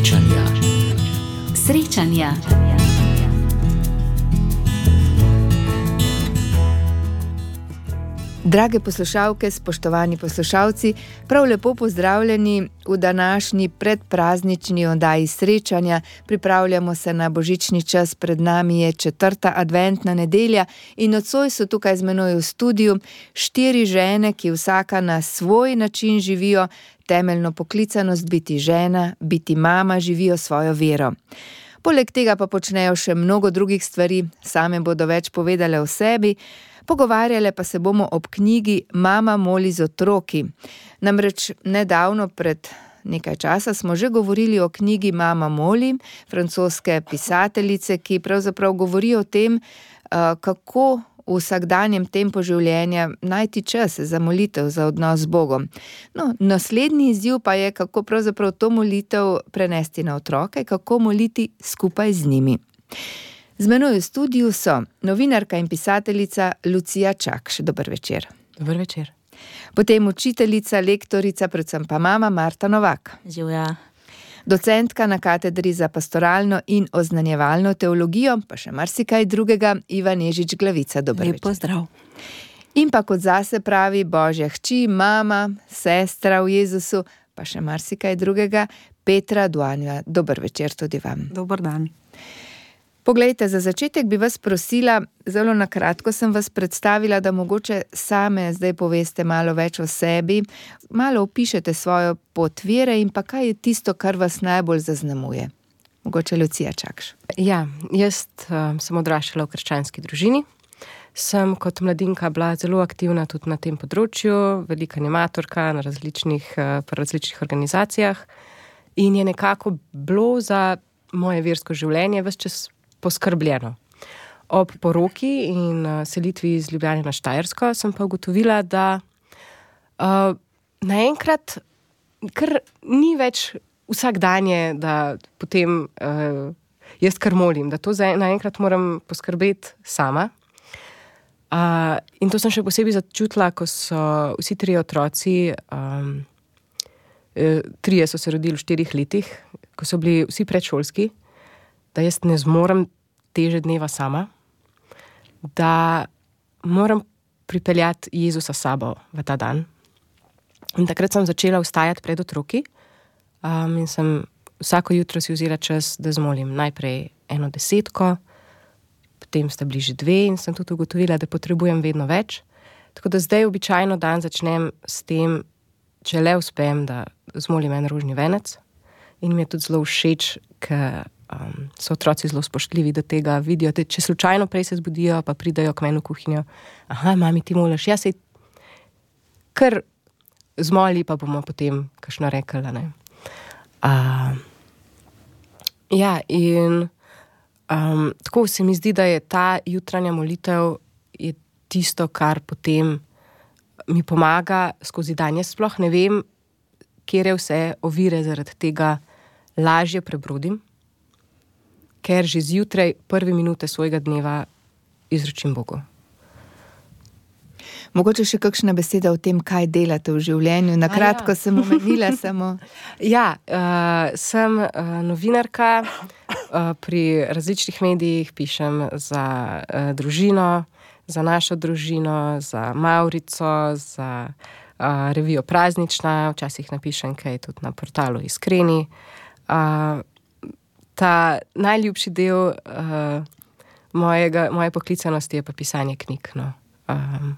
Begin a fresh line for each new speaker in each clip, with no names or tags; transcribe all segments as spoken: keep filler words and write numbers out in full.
Srečanja.
Srečanja.
Drage poslušalke, spoštovani poslušalci, prav lepo pozdravljeni v današnji predpraznični oddaji Srečanja. Pripravljamo se na božični čas, pred nami je četrta adventna nedelja in nocoj so tukaj z menoj v studiu štiri žene, ki vsaka na svoj način živijo temeljno poklicanost biti žena, biti mama, živijo svojo vero. Poleg tega pa počnejo še mnogo drugih stvari, same bodo več povedale o sebi. Pogovarjale pa se bomo ob knjigi Mama moli z otroki. Namreč nedavno, pred nekaj časa, smo že govorili o knjigi Mama moli, francoske pisateljice, ki pravzaprav govori o tem, kako v vsakdanjem tempu življenja najti čas za molitev, za odnos z Bogom. No, naslednji izziv pa je, kako pravzaprav to molitev prenesti na otroke, kako moliti skupaj z njimi. Z menoj v studiu so novinarka in pisateljica Lucija Čakš. Dober večer.
Dober večer.
Potem učiteljica, lektorica, predvsem pa mama Marta Novak.
Živja.
Docentka na katedri za pastoralno in oznanjevalno teologijo, pa še marsikaj drugega, Iva Nežič Glavica. Dober večer.
Lep pozdrav.
In pa kot zase pravi Božja hči, mama, sestra v Jezusu, pa še marsikaj drugega, Petra Duanja. Dober večer tudi vam.
Dober dan.
Poglejte, za začetek bi vas prosila, zelo na kratko sem vas predstavila, da mogoče same zdaj poveste malo več o sebi, malo opišete svojo pot vere in pa kaj je tisto, kar vas najbolj zaznamuje. Mogoče Lucija Čakš.
Ja, jaz uh, sem odraščala v krščanski družini. Sem kot mladinka bila zelo aktivna tudi na tem področju, velika animatorka na različnih, uh, različnih organizacijah in je nekako bilo za moje versko življenje ves čas poskrbljeno. Ob poroki in uh, selitvi iz Ljubljane na Štajersko sem pa ugotovila, da uh, naenkrat kar ni več vsak dan je, da potem uh, jaz kar molim, da to za, naenkrat moram poskrbeti sama. Uh, in to sem še posebej začutila, ko so vsi trije otroci, um, uh, trije so se rodili v štirih letih, ko so bili vsi predšolski, da jaz ne zmorem teže dneva sama, da moram pripeljati Jezusa s sabo v ta dan. In takrat sem začela vstajati pred otroki um, in sem vsako jutro si vzela čas, da zmolim najprej eno desetko, potem sta bili že dve in sem tudi ugotovila, da potrebujem vedno več. Tako da zdaj običajno dan začnem s tem, če le uspem, da zmolim en rožni venec in mi je tudi zelo všeč, ker Um, so otroci zelo spoštljivi do tega, vidijo, da če slučajno prej se zbudijo, pa pridajo k meni v kuhinjo. Aha, mami, ti moliš, ja se kar zmoli, pa bomo potem kakšno rekli, ne. Uh, ja, in um, tako se mi zdi, da je ta jutranja molitev je tisto, kar potem mi pomaga skozi dan. Jaz sploh ne vem, kjer je vse ovire zaradi tega lažje prebrodim, ker že zjutraj prve minute svojega dneva izročim Bogu.
Mogoče še kakšna beseda o tem, kaj delate v življenju. Na kratko ja. sem omenila samo.
Ja, uh, sem uh, novinarka, uh, pri različnih medijih pišem za uh, družino, za našo družino, za Maurico, za uh, revijo Praznična, včasih napišem kaj tudi na portalu Iskreni. Uh, Ta najljubši del uh, mojega, moje poklicanosti je pa pisanje knjig. No. Um,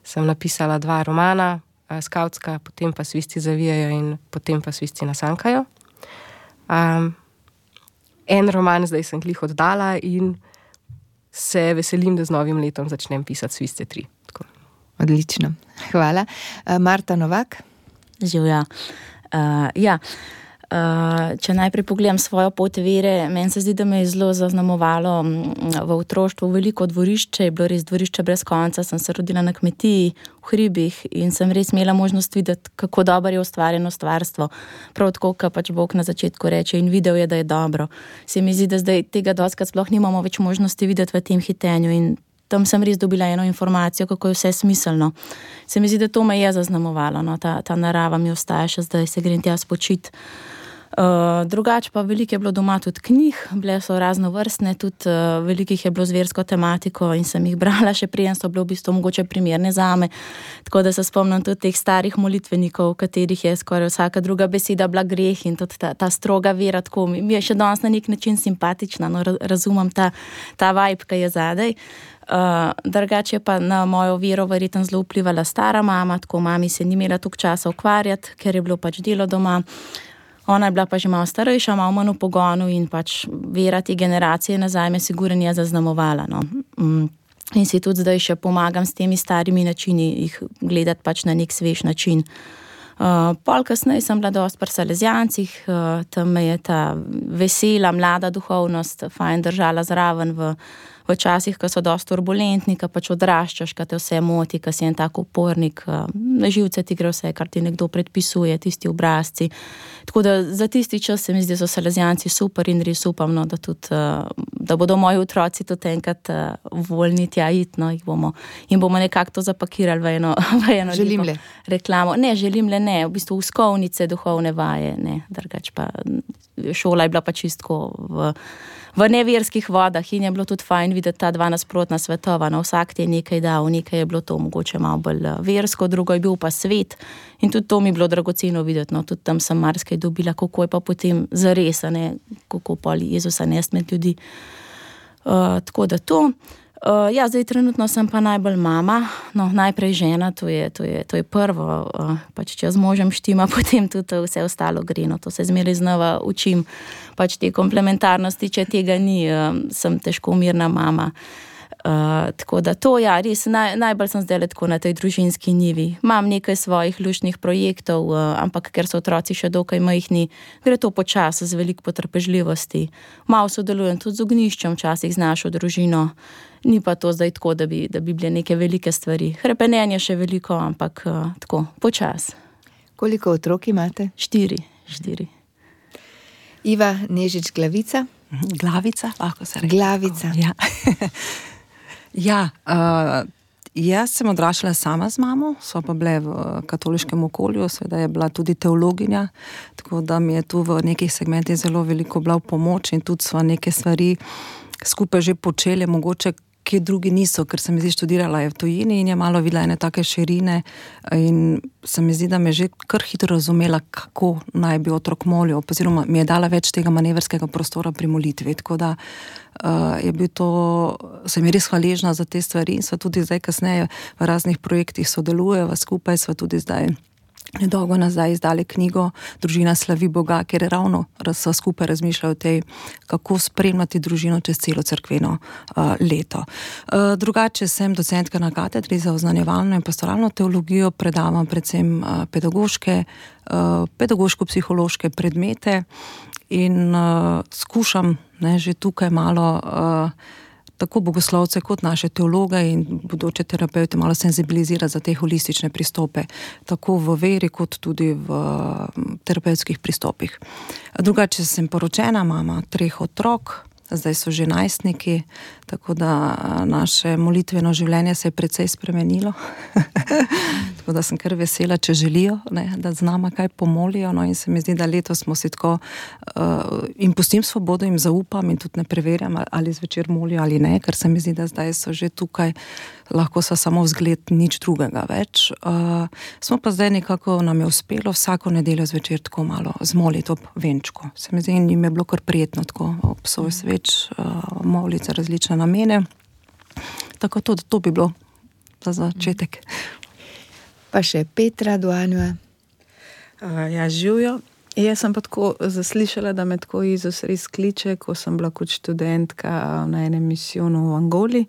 sem napisala dva romana, uh, skavtska, potem pa Svisti zavijajo in potem pa Svisti nasankajo. Um, en roman zdaj sem glih oddala in se veselim, da z novim letom začnem pisati Sviste tri. Tako.
Odlično, hvala. Uh, Marta Novak?
Živja. Uh, ja. Uh, če najprej pogledam svojo pot vere, meni se zdi, da me je zelo zaznamovalo v otroštvu veliko dvorišče, je bilo res dvorišče brez konca, sem se rodila na kmetiji v hribih in sem res imela možnost videti, kako dobro je ustvarjeno stvarstvo. Prav tako, kot pač Bog na začetku reče in videl je, da je dobro. Se mi zdi, da zdaj tega dostikrat sploh nimamo več možnosti videti v tem hitenju in tam sem res dobila eno informacijo, kako je vse smiselno. Se mi zdi, da to me je zaznamovalo, no? ta, ta narava mi ostaja še zdaj, se grem tja spočiti. Uh, drugače pa veliko je bilo doma tudi knjig, bile so raznovrstne, tudi uh, velikih je bilo z versko tematiko in sem jih brala, še preden so bile v bistvu mogoče primerne zame. Tako da se spomnim tudi teh starih molitvenikov, v katerih je skoraj vsaka druga beseda bila greh in tudi ta, ta stroga vera, tako mi je še danes na nek način simpatična, no, razumem ta, ta vibe, ki je zadaj. Uh, drugače je pa na mojo vero verjetno zelo vplivala stara mama, tako mami se ni imela toliko časa ukvarjati, ker je bilo pač delo doma. Ona je bila pa že malo starejša, malo manj v pogonu in pač vera te generacije nazaj me sigurno je zaznamovala. No. Mm. In si tudi zdaj še pomagam s temi starimi načini jih gledati pač na nek svež način. Uh, pol kasneje sem bila dosti pri Salezijancih, uh, tam me je ta vesela, mlada duhovnost fajn držala zraven v, v časih, ko so dosti turbulentni, ko pač odraščaš, ko te vse moti, ko si en tak upornik, uh, na živce ti gre vse, kar ti nekdo predpisuje, tisti obrazci. Tako da za tisti čas se mi zdi, da so Salezijanci super in res upam, no, da, tudi, uh, da bodo moji otroci tudi enkrat uh, voljni tja iti, no, jih bomo, in bomo nekako to zapakirali v eno, v eno
želim le.
reklamo. Ne, želim le ne, v bistvu uskovnice, duhovne vaje, ne, drugač pa šola je bila pa čistko v, v neverskih vodah in je bilo tudi fajn videti ta dva nasprotna svetova, no, vsak ti je nekaj dal, nekaj je bilo to mogoče malo bolj versko, drugo je bil pa svet in tudi to mi je bilo dragoceno videti, no, tudi tam sem marsikaj dobila, kako je pa potem zares, ne, kako poli Jezusa nest med ljudi. Uh, tako da to. Uh, ja, zdaj trenutno sem pa najbolj mama, no, najprej žena, to je, to je, to je prvo, uh, pač če z možem štima, potem tudi vse ostalo gre, no, to se zmeraj znova učim, pač te komplementarnosti, če tega ni, uh, sem težko mirna mama. Uh, tako da to, ja, res, naj, najbolj sem zdaj tako na tej družinski njivi. Imam nekaj svojih luštnih projektov, uh, ampak ker so otroci še dokaj majhni, gre to počas z veliko potrpežljivosti. Malo sodelujem tudi z ognjiščem, včasih z našo družino. Ni pa to zdaj tako, da bi, da bi bile neke velike stvari. Hrepenenje še veliko, ampak uh, tako, počas.
Koliko otrok imate?
Štiri, štiri.
Iva Nežič Glavica?
Glavica, lahko se reče.
Glavica.
Ja, ja uh, jaz sem odraščala sama z mamo, so pa bile v katoliškem okolju, seveda je bila tudi teologinja, tako da mi je tu v nekih segmentih zelo veliko bila v pomoč in tudi sva neke stvari skupaj že počeli, mogoče kje drugi niso, ker se mi zdi študirala je v tujini in je malo videla ene take širine in se mi zdi, da me je že kar hitro razumela, kako naj bi otrok molil, oziroma mi je dala več tega manevrskega prostora pri molitvi, tako da uh, je bil to, sem je res hvaležna za te stvari in sva tudi zdaj kasneje v raznih projektih sodelujeva skupaj, sva tudi zdaj nedolgo nazaj izdali knjigo Družina slavi Boga, kjer je ravno so skupaj razmišljali o tej, kako spremljati družino čez celo cerkveno uh, leto. Uh, drugače sem docentka na katedri za oznanjevalno in pastoralno teologijo, predavam predvsem uh, pedagoške, uh, pedagoško-psihološke predmete in uh, skušam ne, že tukaj malo uh, tako bogoslovce kot naše teologe in bodoče terapeute malo senzibilizirati za te holistične pristope, tako v veri kot tudi v terapevtskih pristopih. Drugače sem poročena, mama treh otrok, zdaj so že najstniki, tako da naše molitveno življenje se je precej spremenilo. Tako da sem kar vesela, če želijo, ne, da z nama kaj pomolijo, no in se mi zdi, da letos smo si tako uh, in pustim svobodo, jim zaupam in tudi ne preverjam, ali zvečer molijo ali ne, ker se mi zdi, da zdaj so že tukaj, lahko so samo vzgled, nič drugega več. Uh, smo pa zdaj nekako, nam je uspelo vsako nedeljo zvečer tako malo zmoliti ob venčku. Se mi zdi, in jim je bilo kar prijetno tako ob svoj sveč uh, moliti za različne namene. Tako to, to bi bilo za začetek.
Pa še Petra Duanjeva.
Uh, ja, živijo. Jaz sem pa tako zaslišala, da me tako Jezus res kliče, ko sem bila kot študentka na enem misijonu v Angoli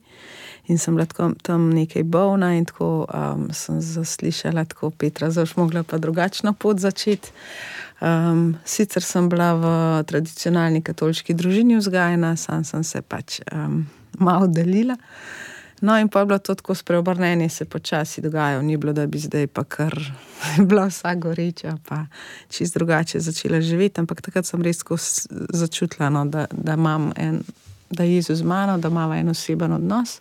in sem bila tako, tam nekaj bolna in tako um, sem zaslišala, tako Petra, zdaj mogla pa drugačno pot začeti. Um, sicer sem bila v tradicionalni katoliški družini vzgajena, sam sem se pač um, malo delila. No in pa je bilo to tako spreobrnenje, se počasi dogajalo, ni bilo, da bi zdaj pa kar bila vsa goreča, pa čist drugače začela živeti, ampak takrat sem res tako začutila, no, da, da imam en, da je Jezus z mano, da imamo en oseben odnos.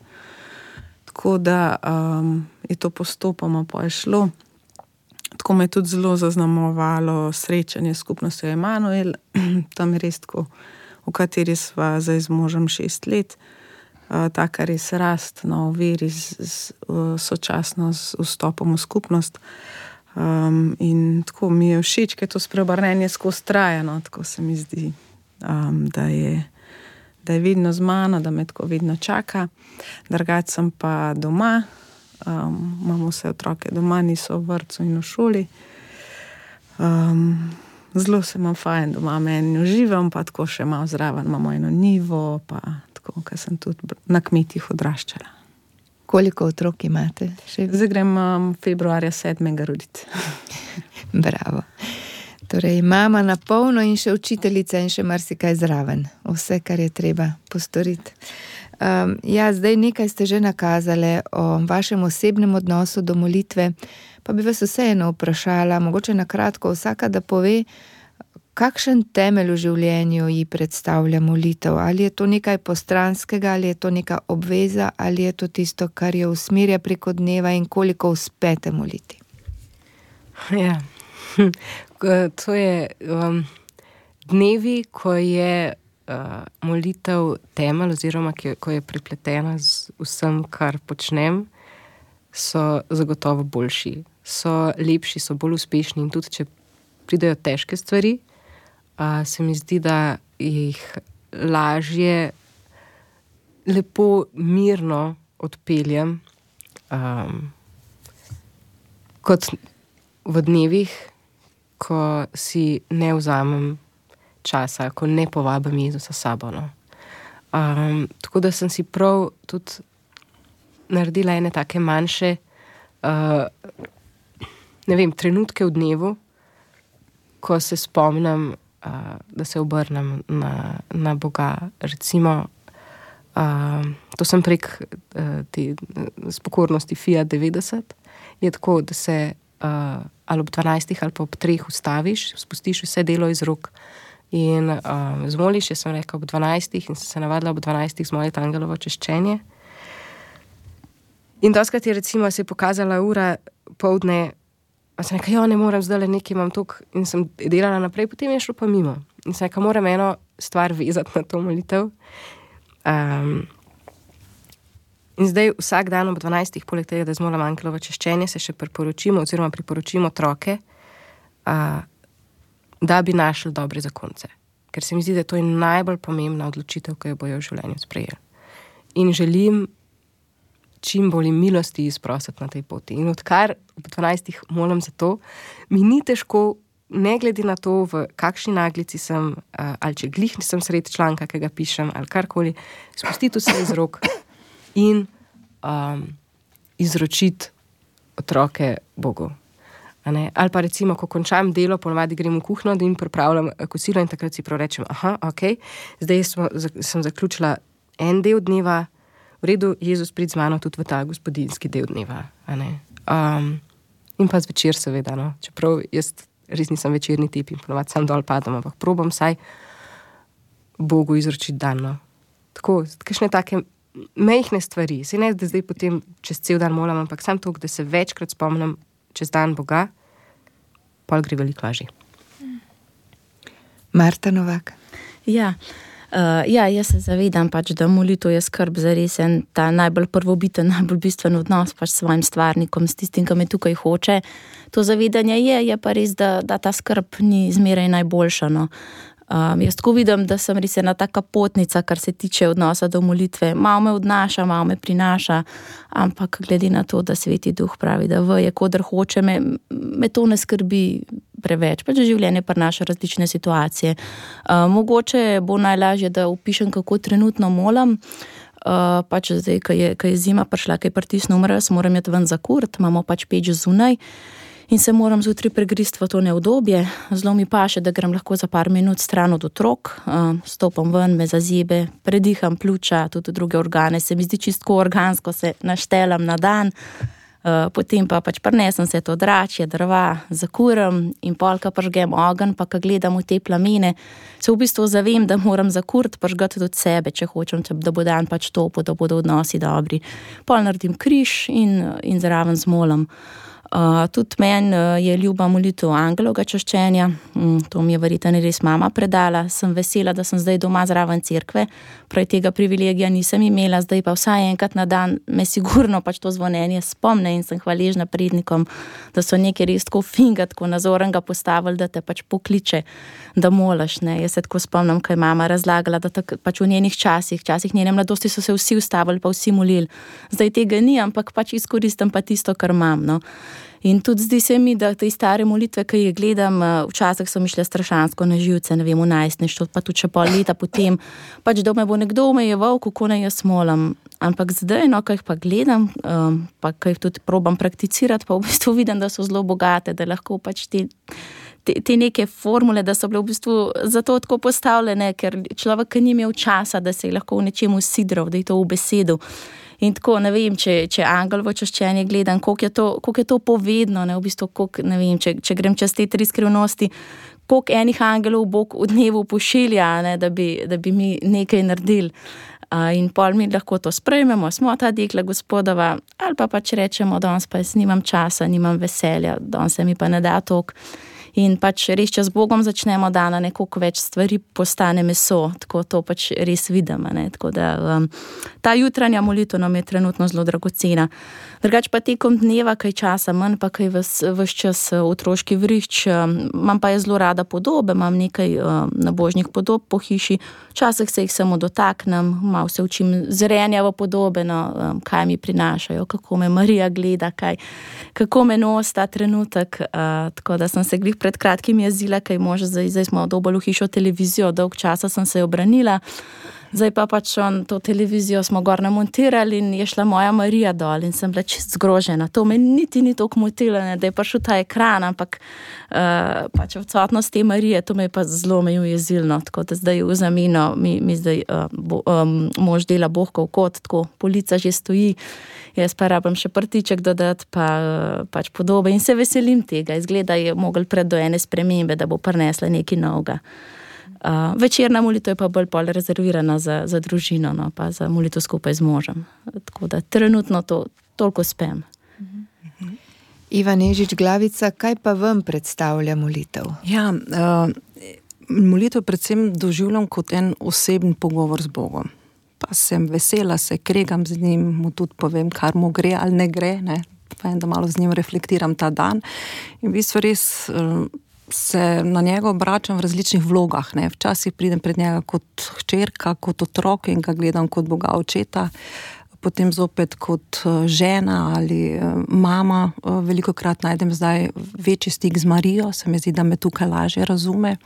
Tako da um, je to postopoma pa je šlo. tako me je tudi zelo zaznamovalo srečanje s skupnostjo Emanuel, tam je res tako, v kateri sva zdaj z možem šest let, uh, taka res rast, no, v veri z, z, uh, sočasno z vstopom v skupnost. Um, in tako mi je všeč, ker to spreobrnenje skozi traja, no, tako se mi zdi, um, da je da je vedno z mano, da me tako vedno čaka. Drugače sem pa doma, um, imamo vse otroke doma, niso v vrtcu in v šoli. Um, zelo se imam fajn doma, meni uživam, pa tako še malo zraven, imamo eno nivo, pa tako, ker sem tudi na kmetih odraščala.
Koliko otrok imate? Še?
Zdaj grem um, februarja sedmega roditi.
Bravo. Torej, mama na polno in še učiteljica in še marsikaj zraven. Vse, kar je treba postoriti. Um, ja, zdaj nekaj ste že nakazali o vašem osebnem odnosu do molitve, pa bi vas vseeno vprašala, mogoče na kratko vsaka, da pove, kakšen temelj v življenju ji predstavlja molitev. Ali je to nekaj postranskega, ali je to neka obveza, ali je to tisto, kar jo usmerja preko dneva in koliko uspete moliti?
Ja. To je um, dnevi, ko je uh, molitev temelj oziroma ki, ko je pripletena z vsem, kar počnem, so zagotovo boljši, so lepši, so bolj uspešni in tudi, če pridejo težke stvari, uh, se mi zdi, da jih lažje lepo, mirno odpeljem um, kot v dnevih, ko si ne vzamem časa, ko ne povabim Jezusa s sabo. No. Um, tako da sem si prav tudi naredila ene take manjše uh, ne vem, trenutke v dnevu, ko se spomnim, uh, da se obrnem na, na Boga. Recimo, uh, to sem prek uh, te spokornosti Fiat devetdeset, je tako, da se Uh, ali ob dvanajstih ali pa ob treh ustaviš, spustiš vse delo iz rok in uh, zmoliš, jaz sem rekel ob dvanajstih in sem se navadila ob dvanajstih zmoliti angelovo češčenje. In doskrat je recimo se je pokazala ura pol dne, pa sem rekel, jo, ne moram zdaj le nekaj, imam tok in sem delala naprej, potem je šlo pa mimo. In sem rekel, moram eno stvar vezati na to molitev. Um, In zdaj vsak dan ob dvanajstih, poleg tega, da zmolim angelovo češčenje, se še priporočimo oziroma priporočimo otroke, a, da bi našli dobre zakonce. Ker se mi zdi, da to je najbolj pomembna odločitev, ki jo bojo v življenju sprejeli. In želim čim bolj milosti izprositi na tej poti. In odkar ob dvanajstih molim za to, mi ni težko, ne glede na to, v kakšni naglici sem, a, ali če glih nisem sredi članka, ki ga pišem, ali karkoli, spustiti vse iz rok in um, izročiti otroke Bogu. Ali pa recimo, ko končam delo, ponovadi grem v kuhno in pripravljam kosilo in takrat si prav rečem, aha, ok, zdaj smo, sem zaključila en del dneva, v redu, Jezus prid z mano tudi v ta gospodinski del dneva. Um, in pa zvečer seveda, no, čeprav jaz res nisem večerni tip in ponovadi sam dol padam, ampak probam saj Bogu izročiti dan. No. Tako, kakšne take mejhne stvari. Se ne, da zdaj potem čez cel dan molam, ampak sam to, da se večkrat spomnim čez dan Boga, pol gre veliko lažje.
Marta Novak.
Ja, uh, ja, jaz se zavedam pač, da molitev je skrb za res en ta najbolj prvobiten, najbolj bistven odnos pač s svojim stvarnikom, s tistim, ki me tukaj hoče. To zavedanje je, je pa res, da, da ta skrb ni zmeraj najboljša, no. Um, jaz tako vidim, da sem res ena taka potnica, kar se tiče odnosa do molitve. Malo me odnaša, malo me prinaša, ampak glede na to, da Sveti Duh pravi, da veje, kodr hoče, me, me to ne skrbi preveč. Pač življenje prinaša različne situacije. Um, mogoče bo najlažje, da opišem, kako trenutno molam. Uh, pač zdaj, ko je, ko je zima prišla, ko je pritisnil mraz, moram jeti ven za kurt, imamo pač peč zunaj. In se moram zjutraj pregrist v to neudobje. Zelo mi paše, da grem lahko za par minut stran od otrok, stopam ven, me zazebe, prediham pljuča, tudi druge organe. Se mi zdi čistko organsko, se naštelam na dan. Potem pa pač prinesem se to dračje, drva, zakuram in polka pržgem ogenj, pa ko gledam v te plamene, se v bistvu zavem, da moram zakurt pržgati od sebe, če hočem, da bo dan pač topo, da bodo odnosi dobri. Pol naredim križ in, in zraven zmolim. Uh, tudi meni uh, je ljuba molitev angelovega čaščenja, mm, to mi je verjetno res mama predala. Sem vesela, da sem zdaj doma zraven cerkve, prej tega privilegija nisem imela, zdaj pa vsaj enkrat na dan me sigurno pač to zvonjenje spomne in sem hvaležna prednikom, da so nekaj res tako finga, tako nazorenga postavili, da te pač pokliče, da molaš. Ne. Jaz se tako spomnim, kaj je mama razlagala, da tak, pač v njenih časih, časih njene mladosti so se vsi ustavili, pa vsi molili. Zdaj tega ni, ampak pač izkoristim pa tisto, kar imam. No. In tudi zdi se mi, da te stare molitve, ki jih gledam, včasih so mi šle strašansko na živce, ne vem, v najstništvu, pa tudi še pol leta potem, pač da me bo nekdo omejeval, kako naj jaz molam. Ampak zdaj, no, ko jih pa gledam, um, pa ko jih tudi probam prakticirati, pa v bistvu vidim, da so zelo bogate, da lahko pač te, te, te neke formule, da so bile v bistvu zato tako postavljene, ker človek, ki ni imel časa, da se je lahko v nečemu sidral, da je to v besedu. In tako, ne vem, če, če angelovo čaščenje gledam, koliko je to, koliko je to povedno, ne, v bistvu, koliko, ne vem, če, če grem čez te tri skrivnosti, koliko enih angelov Bog v dnevu pošilja, ne, da bi, da bi mi nekaj naredili. Uh, in pol mi lahko to sprejmemo, smo ta dekla gospodova, ali pa pač rečemo, danes pa jaz nimam časa, nimam veselja, danes se mi pa ne da toliko. In pač res, če z Bogom začnemo dana, nekoliko več stvari postane meso, tako to pač res vidim. Ne? Tako da um, ta jutranja molitev nam je trenutno zelo dragocena. Drugač pa tekom dneva, kaj časa manj, pa kaj ves čas otroški vrišč, imam pa je zelo rada podobe, imam nekaj um, nabožnih podob po hiši, včasih se jih samo dotaknem, malo se učim zrenja v podobe, no, um, kaj mi prinašajo, kako me Marija gleda, kaj, kako me nos ta trenutek, uh, tako da sem se glih pred kratkim jezila, kaj može, zdaj, zdaj smo dobili v hišo televizijo, dolg časa sem se obranila, zdaj pa pač on to televizijo smo gor namontirali in je šla moja Marija dol in sem bila čist zgrožena. To me niti ni toliko motilo, ne, da je prišel ta ekran, ampak uh, pač odsotnost te Marije, to me je pa zelo me ujezilno, tako da zdaj v zameno mi, mi zdaj uh, bo, um, mož dela bohkov kot, tako polica že stoji, jaz pa rabim še prtiček dodati, pa uh, pač podobe in se veselim tega. Izgleda je mogel pred do ene spremembe, da bo prinesla nekaj novega. Uh, večerna molitev je pa bolj pol rezervirana za, za družino, no, pa za molitev skupaj z možem. Tako da trenutno to toliko spem.
Mhm. Iva Nežič Glavica, kaj pa vam predstavlja molitev?
Ja, uh, molitev predvsem doživljam kot en osebni pogovor z Bogom. Pa sem vesela, se kregam z njim, mu tudi povem, kar mu gre ali ne gre, ne. Pa en, da malo z njim reflektiram ta dan. In v bistvu res uh, se na njega obračam v različnih vlogah. Ne. Včasih pridem pred njega kot hčerka, kot otrok in ga gledam kot Boga očeta, potem zopet kot žena ali mama. Velikokrat najdem zdaj večji stik z Marijo, se mi zdi, da me tukaj lažje razume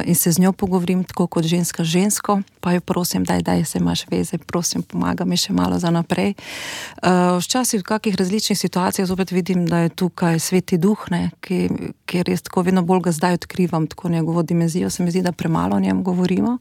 in se z njo pogovorim tako kot ženska žensko, pa jo prosim, daj, daj, se imaš veze, prosim, pomaga mi še malo za naprej. Včasih v kakih različnih situacijah zopet vidim, da je tukaj Sveti Duh, ne, ki, ki res tako vedno bolj ga zdaj odkrivam, tako njegovo dimenzijo, se mi zdi, da premalo o njem govorimo.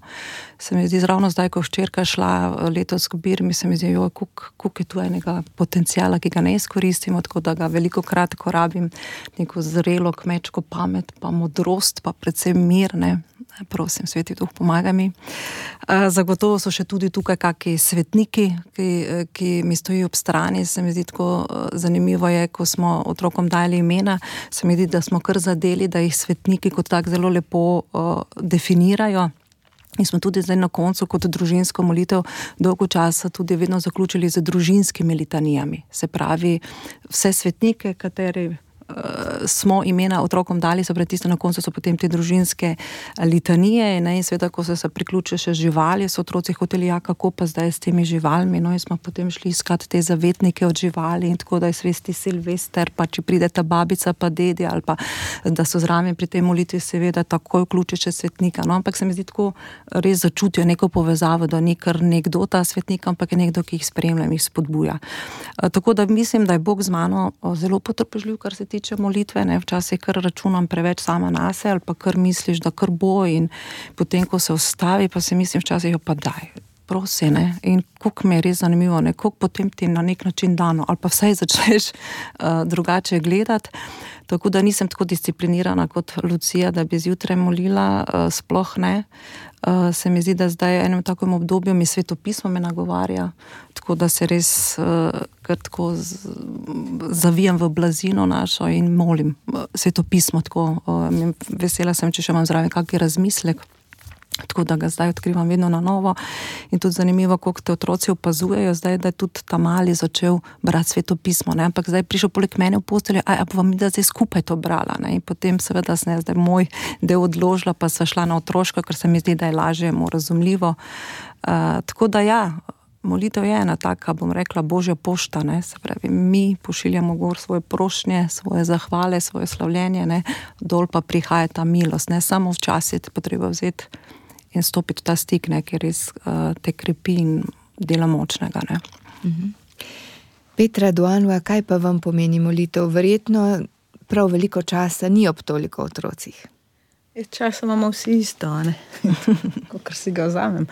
Se mi zdi, ravno zdaj, ko hčerka šla letos k Birmi, se mi zdi, joj, koliko je tu enega potencijala, ki ga ne izkoristimo, tako da ga veliko krat, ko rabim neko zrelo kmečko pamet, pa modrost, pa predvsem mir, ne, prosim, Sveti Duh, pomaga mi. Zagotovo so še tudi tukaj kakšni svetniki, ki, ki mi stojijo ob strani, se mi zdi tako zanimivo je, ko smo otrokom dali imena, se mi zdi, da smo kar zadeli, da jih svetniki kot tak zelo lepo uh, definirajo. In smo tudi zdaj na koncu kot družinsko molitev dolgo časa tudi vedno zaključili z družinskimi litanijami. Se pravi, vse svetnike, kateri smo imena otrokom dali, so pred tisto na koncu so potem te družinske litanije, ne, in seveda, ko so se priključili še živali, so otroci hoteli, ja, kako pa zdaj s temi živalmi, no, in smo potem šli iskati te zavetnike od živali in tako, da je sveti Silvester, pa če pride ta babica pa dedi, ali pa da so zraven pri tej molitvi seveda takoj vključi še svetnika, no, ampak se mi zdi tako, res začutijo neko povezavo, da ni kar nekdo ta svetnik, ampak je nekdo, ki jih spremlja in jih spodbuja. Tako da mislim, da je Bog z mano zelo potrpežljiv, kar se tiče molitve, ne, včasih kar računam preveč sama nase, ali pa kar misliš, da kar bo in potem, ko se ustavi, pa se mislim včasih, pa daj, prosi, ne, in koliko mi je res zanimivo, ne, koliko potem ti na nek način dano, ali pa vsaj začneš uh, drugače gledati. Tako da nisem tako disciplinirana kot Lucija, da bi zjutraj molila, uh, sploh ne. Uh, se mi zdi, da zdaj v enem takem obdobju mi svetopismo me nagovarja, tako da se res uh, kar tako z, zavijam v blazino našo in molim uh, svetopismo, tako uh, vesela sem, če še imam zraven kakšen razmislek. Tako da ga zdaj odkrivam vedno na novo in tudi zanimivo, koliko te otroci opazujejo zdaj, da je tudi ta mali začel brati svetopismo, ne, ampak zdaj je prišel poleg mene v posteljo, a, a pa vam da zdaj skupaj to brala, ne, in potem seveda sem jaz zdaj moj del odložila, pa sva šla na otroško, ker se mi zdi, da je lažje, mu razumljivo. Uh, tako da ja, molitev je ena taka, bom rekla, božja pošta, ne, se pravi, mi pošiljamo gor svoje prošnje, svoje zahvale, svoje slavljenje, ne, dol pa prihaja ta milost, ne, samo včasih je potreba vzeti in stopiti v ta stik, ne, ker res uh, te krepi in dela močnega. Ne.
Mhm. Petra Duanova, kaj pa vam pomeni molitev? Verjetno prav veliko časa ni ob toliko otrocih.
Časa imamo vsi isto, ne? Kakor si ga vzamem.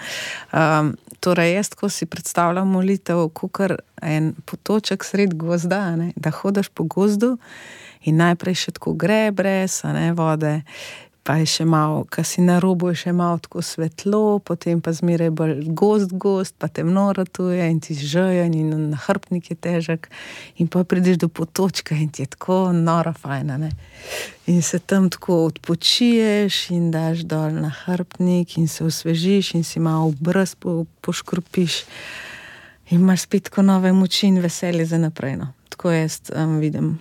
Um, torej, jaz tako si predstavljam molitev, kakor en potoček sred gozda, ne? Da hodaš po gozdu in najprej še tako gre brez, ne, vode, pa je še malo, ko si na robu, je še malo tako svetlo, potem pa zmeraj bolj gost, gost, pa temno ratuje in ti žejen in nahrbtnik je težek in pa prideš do potočka in ti je tako nora fajna, ne. In se tam tako odpočiješ in daš dol nahrbtnik in se osvežiš in si malo obraz po, poškropiš in imaš spet tako nove moči in veselje za naprej, no. Tako jaz um, vidim.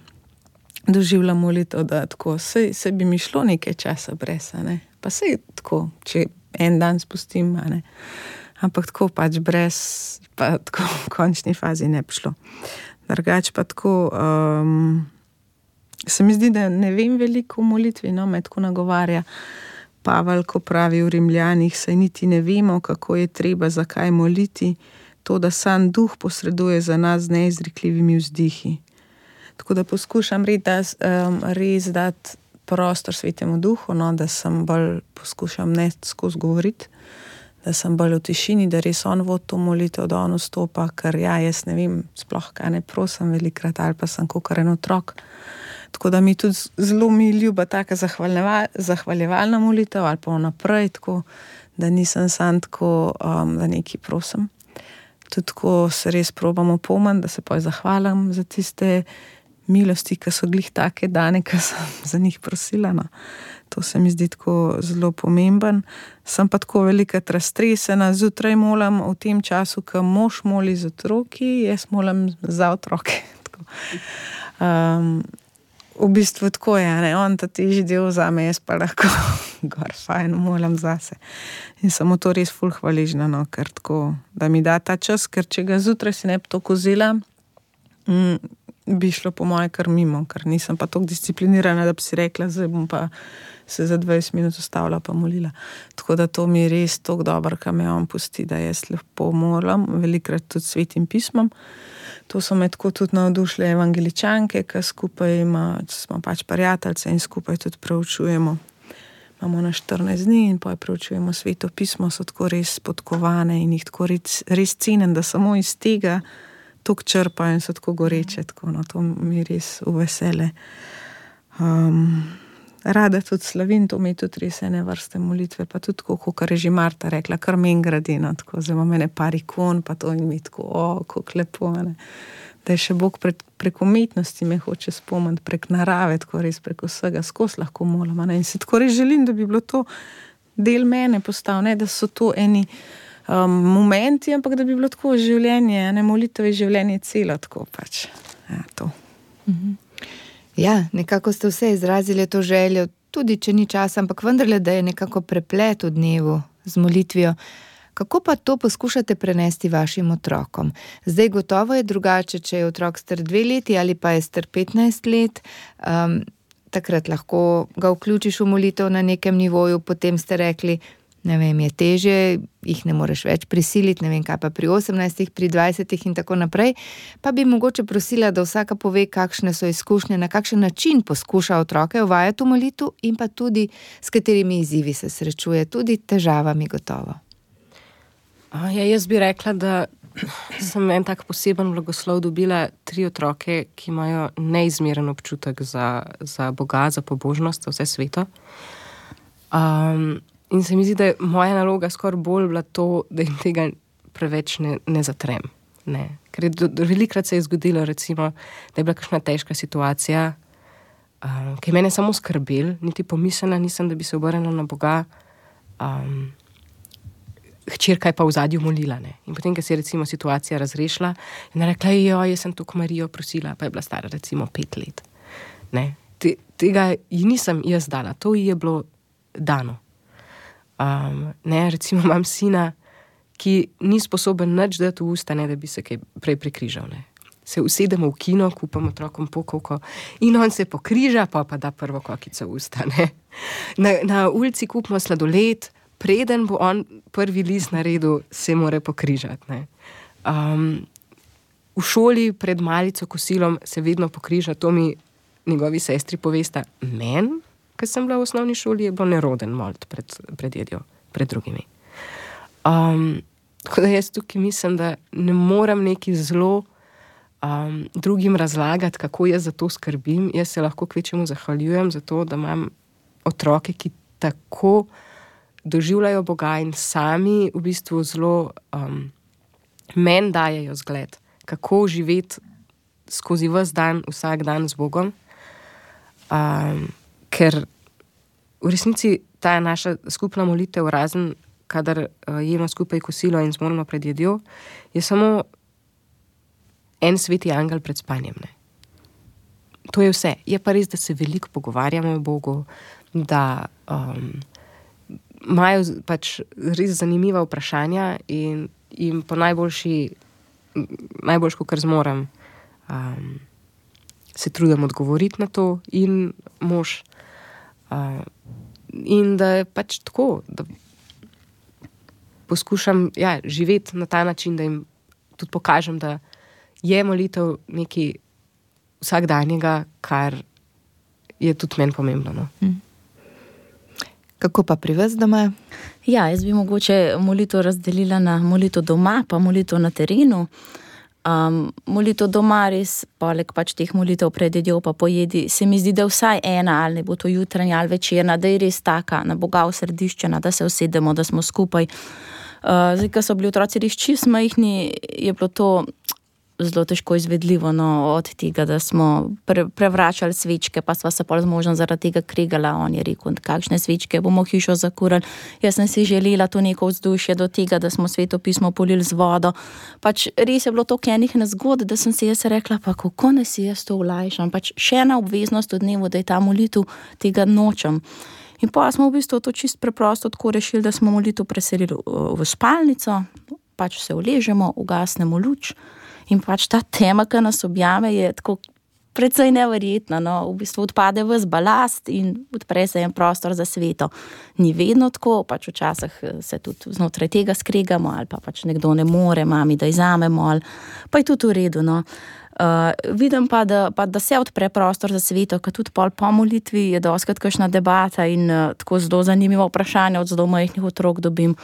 Doživljam molitev, da tako, sej, sej bi mi šlo nekaj časa brez, ne, pa sej tako, če en dan spustim, ne, ampak tako pač brez, pa tako v končni fazi ne bi šlo. Drugač pa tako, um, se mi zdi, da ne vem veliko o molitvi, no, me tako nagovarja Pavel, ko pravi v Rimljanih, saj niti ne vemo, kako je treba, zakaj moliti, to, da sam duh posreduje za nas z neizrekljivimi vzdihi. Tako da poskušam res, um, res dati prostor Svetemu Duhu, no, da sem bolj poskušam ne skozi govoriti, da sem bolj v tišini, da res on vodi to molitev, da on vstopa, ker ja, jaz ne vem, sploh kaj ne prosim velikrat, ali pa sem kakor en otrok. Tako da mi tudi zelo mi ljuba taka zahvaljeval, zahvaljevalna molitev, ali pa naprej, tako da nisem sam tako, um, da nekaj prosim. Tudi tako se res probamo pomniti, da se pa zahvalim za tiste milosti, ki so glih take dane, ki sem za njih prosila. No. To se mi zdi tako zelo pomemben. Sem pa tako velikrat raztresena, zjutraj molim v tem času, ko mož moli z otroki, jaz molim za otroke. Um, v bistvu tako je, ne? On ta težji del vzame, jaz pa lahko gor fajn molim zase. In samo to res ful hvaležna, no, ker tako, da mi da ta čas, ker če ga zjutraj si ne bi to kozila, mm, bi šlo po moje kar mimo, ker nisem pa toliko disciplinirana, da bi si rekla, zdaj bom pa se za dvajset minut ustavila pa molila. Tako da to mi je res toliko dobro, kaj me on pusti, da jaz lepo molim, velikrat tudi svetim pismom. To so me tako tudi navdušile evangeličanke, ki skupaj ima, smo pač prijateljce in skupaj tudi preučujemo. Imamo na štirinajst dni in pa preučujemo sveto pismo, so tako res podkovane in jih tako res, res cenim, da samo iz tega tok črpajo in so tako goreče, tako, no, to mi res uvesele. Um, rada tudi slavim, to mi je tudi res ene vrste molitve, pa tudi tako, kot je že Marta rekla, kar men gradi, no, tako, zdaj imam ene par ikon, pa to in mi tako, o, kako lepo, ne. Da je še Bog prek, prek umetnosti me hoče spomniti, prek narave, tako res prek vsega, skozi lahko molim, ne. In si tako res želim, da bi bilo to del mene postal, ne, da so to eni Um, momenti, ampak da bi bilo tako življenje, ne, molitev je življenje celo, tako pač, ja, to.
Mhm. Ja, nekako ste vse izrazili to željo, tudi če ni časa, ampak vendarle, da je nekako preplet v dnevu z molitvijo. Kako pa to poskušate prenesti vašim otrokom? Zdaj gotovo je drugače, če je otrok star dve leti ali pa je star petnajst let, um, takrat lahko ga vključiš v molitev na nekem nivoju, potem ste rekli, ne vem, je težje, jih ne moreš več prisiliti, ne vem kaj pa pri osemnajstih, pri dvajsetih in tako naprej, pa bi mogoče prosila, da vsaka pove, kakšne so izkušnje, na kakšen način poskuša otroke uvajati v molitev in pa tudi s katerimi izzivi se srečuje, tudi težavami gotovo.
A, ja, jaz bi rekla, da sem en tak poseben blagoslov dobila tri otroke, ki imajo neizmeren občutek za, za Boga, za pobožnost, za vse sveto. Um, in se mi zdi, da je moja naloga skoraj bolj bila to, da jim tega preveč ne, ne zatrem. Ne. Ker je do, do, velikrat se je zgodilo, recimo, da je bila kakšna težka situacija, um, ki je mene samo skrbel, niti pomislila nisem, da bi se obrnila na Boga. Um, hčerka je pa v zadju molila, ne. In potem, ko se je recimo situacija razrešila, je rekla, jo, jaz sem tukaj Marijo prosila, pa je bila stara recimo pet let. Ne. Te, tega ji nisem jaz dala, to ji je bilo dano. Um, ne, recimo imam sina, ki ni sposoben nič dati v usta, ne, da bi se kaj prej prekrižal, ne. Se usedemo v kino, kupamo otrokom pokovko in on se pokriža, pa pa da prvo kokico v usta, ne. Na, na ulici kupimo sladoled, preden bo on prvi list naredil, se mora pokrižati, ne. Um, v šoli pred malico kosilom se vedno pokriža, to mi njegovi sestri povesta. Men, ko sem bila v osnovni šoli, je bilo neroden molt pred, pred jedjo, pred drugimi. Um, tako da jaz tukaj mislim, da ne moram neki zelo um, drugim razlagati, kako jaz za to skrbim. Jaz se lahko kvečemu zahvaljujem za to, da imam otroke, ki tako doživljajo Boga in sami v bistvu zelo um, meni dajejo zgled, kako živeti skozi ves dan, vsak dan z Bogom. Um, ker v resnici ta naša skupna molitev, razen kadar uh, jemo skupaj kosilo in zmorimo pred jedjo, je samo en sveti angel pred spanjem. Ne? To je vse. Je pa res, da se veliko pogovarjamo o Bogu, da um, imajo pač res zanimiva vprašanja in, in po najboljši, najboljško, kar zmorem, um, se trudim odgovoriti na to in mož. Uh, in da je pač tako, da poskušam ja, živeti na ta način, da jim tudi pokažem, da je molitev nekaj vsakdanjega, kar je tudi meni pomembno. No?
Hmm. Kako pa pri vas doma?
Ja, jaz bi mogoče molitev razdelila na molitev doma, pa molitev na terenu. Um, molitev doma res, poleg pač teh molitev pred jedjo pa pojedi, se mi zdi, da vsaj ena, ali ne bo to jutranja ali večerna, da je res taka, na Boga osrediščena, da se usedemo, da smo skupaj. Uh, zdaj, ko so bili otroci res čisto majhni, je bilo to zelo težko izvedljivo, no, od tega, da smo pre, prevračali svečke, pa sva se pol z možem zaradi tega kregala. On je rekel, kakšne svečke bomo hišo zakurali. Jaz sem si želela to neko vzdušje do tega, da smo Sveto pismo polili z vodo. Pač res je bilo toliko enih nezgod, da sem si jaz rekla, pa kako ne si jaz to olajšam. Pač še ena obveznost v dnevu, da je ta molitev, tega nočem. In pa smo v bistvu to čisto preprosto tako rešili, da smo molitev preselili v spalnico, pač se uležemo, ugasnemo luč. In pač ta tema, ki nas objame, je tako precej neverjetna. No? V bistvu odpade ves balast in odpre se en prostor za sveto. Ni vedno tako, pač včasih se tudi znotraj tega skregamo, ali pa pač nekdo ne more, mami, da izamemo, ali pa je tudi v redu. No? Uh, vidim pa da, pa, da se odpre prostor za sveto, ker tudi pol po molitvi je dostikrat kakšna debata in uh, tako zelo zanimivo vprašanje od zelo majhnih otrok dobim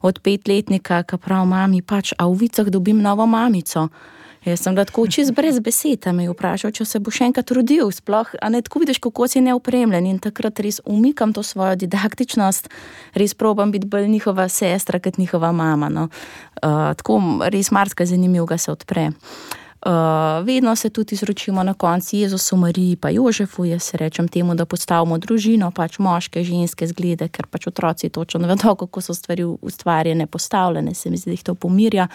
od petletnika, ki prav mami, pač, a v vicah dobim novo mamico. Jaz sem da tako čist brez besed, me je vprašal, če se bo še enkrat rodil, sploh, a ne tako vidiš, kako si neopremljen in takrat res umikam to svojo didaktičnost, res probam biti bolj njihova sestra, kot njihova mama. No. Uh, tako res marsikaj zanimivega se odpre. Uh, vedno se tudi izročimo na konci Jezusu, Mariji pa Jožefu, jaz se rečem temu, da postavimo družino, pač moške, ženske zglede, ker pač otroci točno ne vedo, kako so stvari ustvarjene, postavljene, se mi zdi, da jih to pomirja.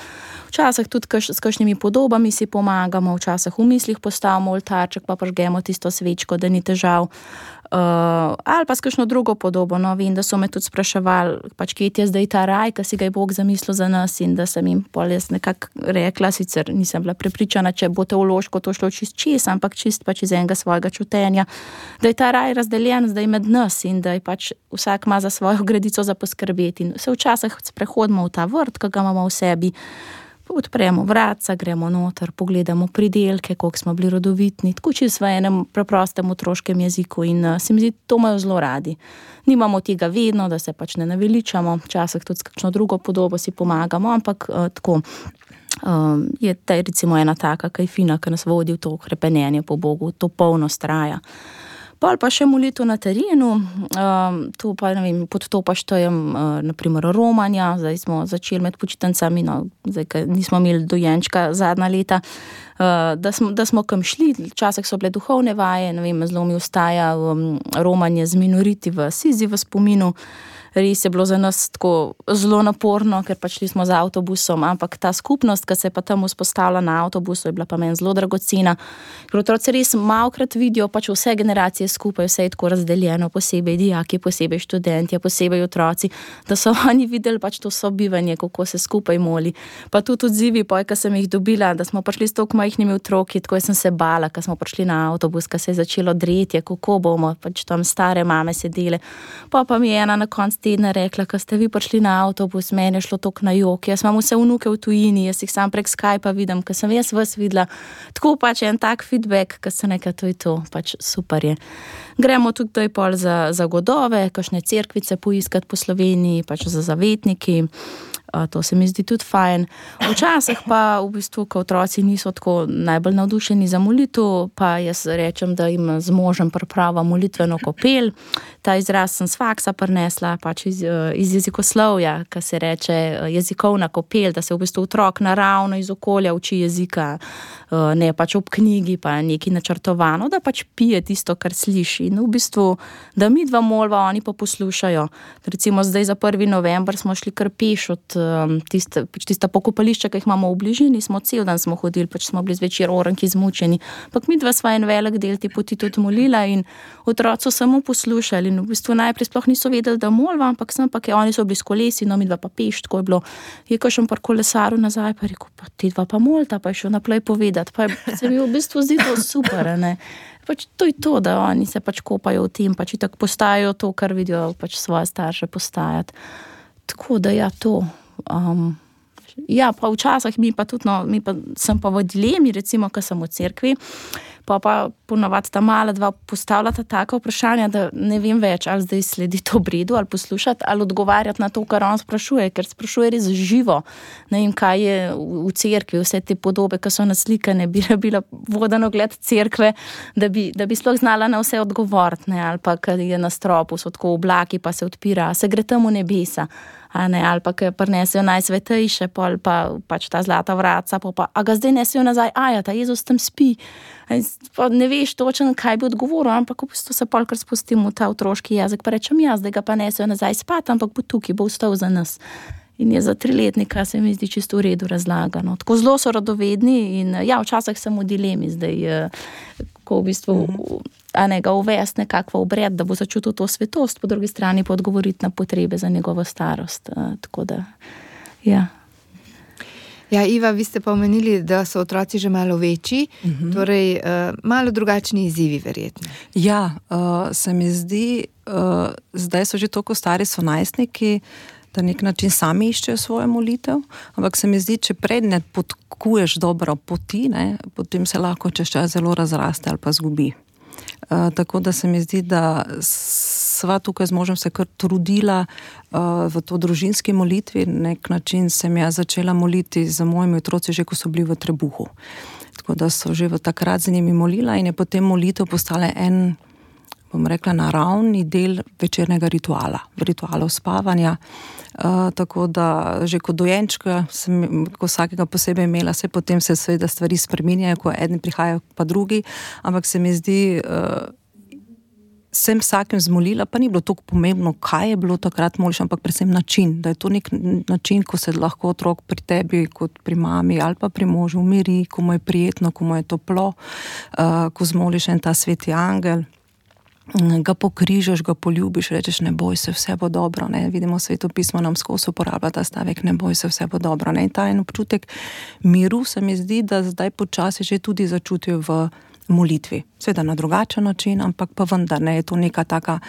Včasih tudi kaš, s kakšnimi podobami si pomagamo, včasih v mislih postavimo oltarček, pa prižgemo tisto svečko, da ni težav. Uh, ali pa s kakšno drugo podobo. No, vem, da so me tudi spraševali, pač kje je zdaj ta raj, ki si ga je Bog zamislil za nas in da sem jim pol jaz nekako rekla, sicer nisem bila prepričana, če bo teološko to šlo čist čez, ampak čist pač iz enega svojega čutenja, da je ta raj razdeljen zdaj med nas in da je pač vsak ima za svojo gredico za poskrbeti in se včasih sprehodimo v ta vrt, ki ga imamo v sebi, odpremo vratca, gremo noter, pogledamo pridelke, koliko smo bili rodovitni, tako čisto v enem preprostem otroškem jeziku in uh, se mi zdi, to imajo zelo radi. Nimamo tega vedno, da se pač ne naveličamo, včasih tudi s kakšno drugo podobo si pomagamo, ampak uh, tako um, je ta recimo ena taka, ki je fina, ki nas vodi v to hrepenenje po Bogu, to polnost raja. Pol pa še molitev na terenu, um, tu pa, ne vem, pod to pa štejem, uh, naprimer, romanja, zdaj smo začeli med počitnicami, no, zdaj, ker nismo imeli dojenčka zadnja leta, uh, da, smo, da smo kam šli, včasih so bile duhovne vaje, ne vem, zelo mi ostaja um, romanje z minoriti v Sizi v spominu. Res je bilo za nas tako zelo naporno, ker pač šli smo z avtobusom, ampak ta skupnost, ki se je pa tam vzpostavila na avtobusu, je bila pa meni zelo dragocena. Ker otroci res malokrat vidijo pač vse generacije skupaj, vse je tako razdeljeno, posebej dijaki, posebej študentje, posebej otroci, da so oni videli pač to sobivanje, kako se skupaj moli. Pa tudi odzivi, poj, ko sem jih dobila, da smo prišli s toliko majhnimi otroki, tako sem se bala, ko smo prišli na avtobus, ko se je začelo dretje, kako bomo, pač tam stare mame sedele. Pa pa mi je ena na koncu tedna rekla, ko ste vi prišli na avtobus, meni je šlo toliko na jok, jaz imam vse vnuke v tujini, jaz jih sam prek Skypa vidim, ko sem jaz vas videla. Tako pač en tak feedback, ko se nekaj to je to, pač super je. Gremo tudi doj pol za, za godove, kakšne cerkvice poiskati po Sloveniji, pač za zavetniki. To se mi zdi tudi fajn. Včasih pa v bistvu, ko otroci niso tako najbolj navdušeni za molitev, pa jaz rečem, da jim z možem priprava molitveno kopel. Ta izraz sem s faksa prinesla, pač iz, iz jezikoslovja, ki se reče jezikovna kopel, da se v bistvu otrok naravno iz okolja uči jezika, ne pač ob knjigi, pa nekaj načrtovano, da pač pije tisto, kar sliši. In v bistvu, da mi dva molva, oni pa poslušajo. Recimo zdaj za prvi november smo šli kar peš od tiste, pač tista pokopališča, ki jih imamo v bližini, smo cel dan smo hodili, pač smo bili zvečer oranki zmučeni. Pak mi dva sva en velik del te poti tudi molila in otroci so samo poslušali in v bistvu najprej sploh niso vedeli, da molva, ampak sem pa, ker oni so bili s kolesi, no mi dva pa peš, tako je bilo. Je kakšen par kolesaru nazaj, pa rekel, pa ti dva pa molta, pa je šel naprej povedati, pa se mi v bistvu zdi to super, ne. Pač to je to, da oni se pač kopajo v tem, pač itak postajajo to, kar vidijo pač svoje starše postajati. Tako da ja, to. Um, ja, pa včasih mi pa tudi, no, mi pa, sem pa v dilemi, recimo, ko sem v cerkvi, pa pa ponavadi ta mala dva postavljata taka vprašanja, da ne vem več, ali zdaj sledi to obredu, ali poslušati, ali odgovarjati na to, kar on sprašuje, ker sprašuje res živo. Ne vem, kaj je v, v cerkvi, vse te podobe, ki so naslikane, bi bila vodeno gled cerkve, da bi, da bi sploh znala na vse odgovoriti, ne, ali pa, ker je na stropu, so tako oblaki, pa se odpira, se gre tam v nebesa. A ne, ali pa, ki prinesejo najsvetejše, pol pa pač ta zlata vratca, pa, pa a ga zdaj nesejo nazaj, aja, ta Jezus tam spi. Pa ne veš točno, kaj bi odgovoril, ampak v bistvu se pol kar spustim v ta otroški jezik, pa rečem jaz, da ga pa nesejo nazaj spat, ampak bo tukaj, bo vstal za nas. In je za triletnika se mi zdi čisto v redu razlagano. Tako zelo so radovedni in ja, včasih sem v dilemi zdaj, ko v bistvu a ne ga uvesti nekakva obred, da bo začutil to svetost, po drugi strani pa odgovoriti na potrebe za njegovo starost. Tako da, ja.
Ja, Iva, vi ste pa omenili, da so otroci že malo večji, uh-huh. torej uh, malo drugačni izzivi verjetno.
Ja, uh, se mi zdi, uh, zdaj so že toliko stari, so najstniki, da nek način sami iščejo svojo molitev, ampak se mi zdi, če pred ne podkuješ dobro poti, ne, potem se lahko čez čas zelo razraste ali pa zgubi. Uh, tako da se mi zdi, da sva tukaj z možem se kar trudila uh, v to družinski molitvi, nek način sem jaz začela moliti za mojimi otroci že, ko so bili v trebuhu. Tako da so že v takrat z njimi molila in je potem molitev postala en, bom rekla, naravni del večernega rituala, ritualov spavanja. Uh, tako da že kot dojenčka sem ko vsakega posebej imela, se potem se seveda stvari spreminjajo, ko eden prihaja pa drugi, ampak se mi zdi, uh, sem vsakem zmolila, pa ni bilo toliko pomembno, kaj je bilo takrat moliš, ampak predvsem način, da je to nek način, ko se lahko otrok pri tebi, kot pri mami ali pa pri možu umiri, ko mu je prijetno, ko mu je toplo, uh, ko zmoliš en ta sveti angel, ga pokrižaš, ga poljubiš, rečeš, ne boj se, vse bo dobro, ne, vidimo Sveto pismo nam skozi uporablja ta stavek, ne boj se, vse bo dobro, ne, in ta en občutek miru se mi zdi, da zdaj počasi že tudi začutijo v molitvi, seveda na drugačen način, ampak pa vendar, ne, je to neka taka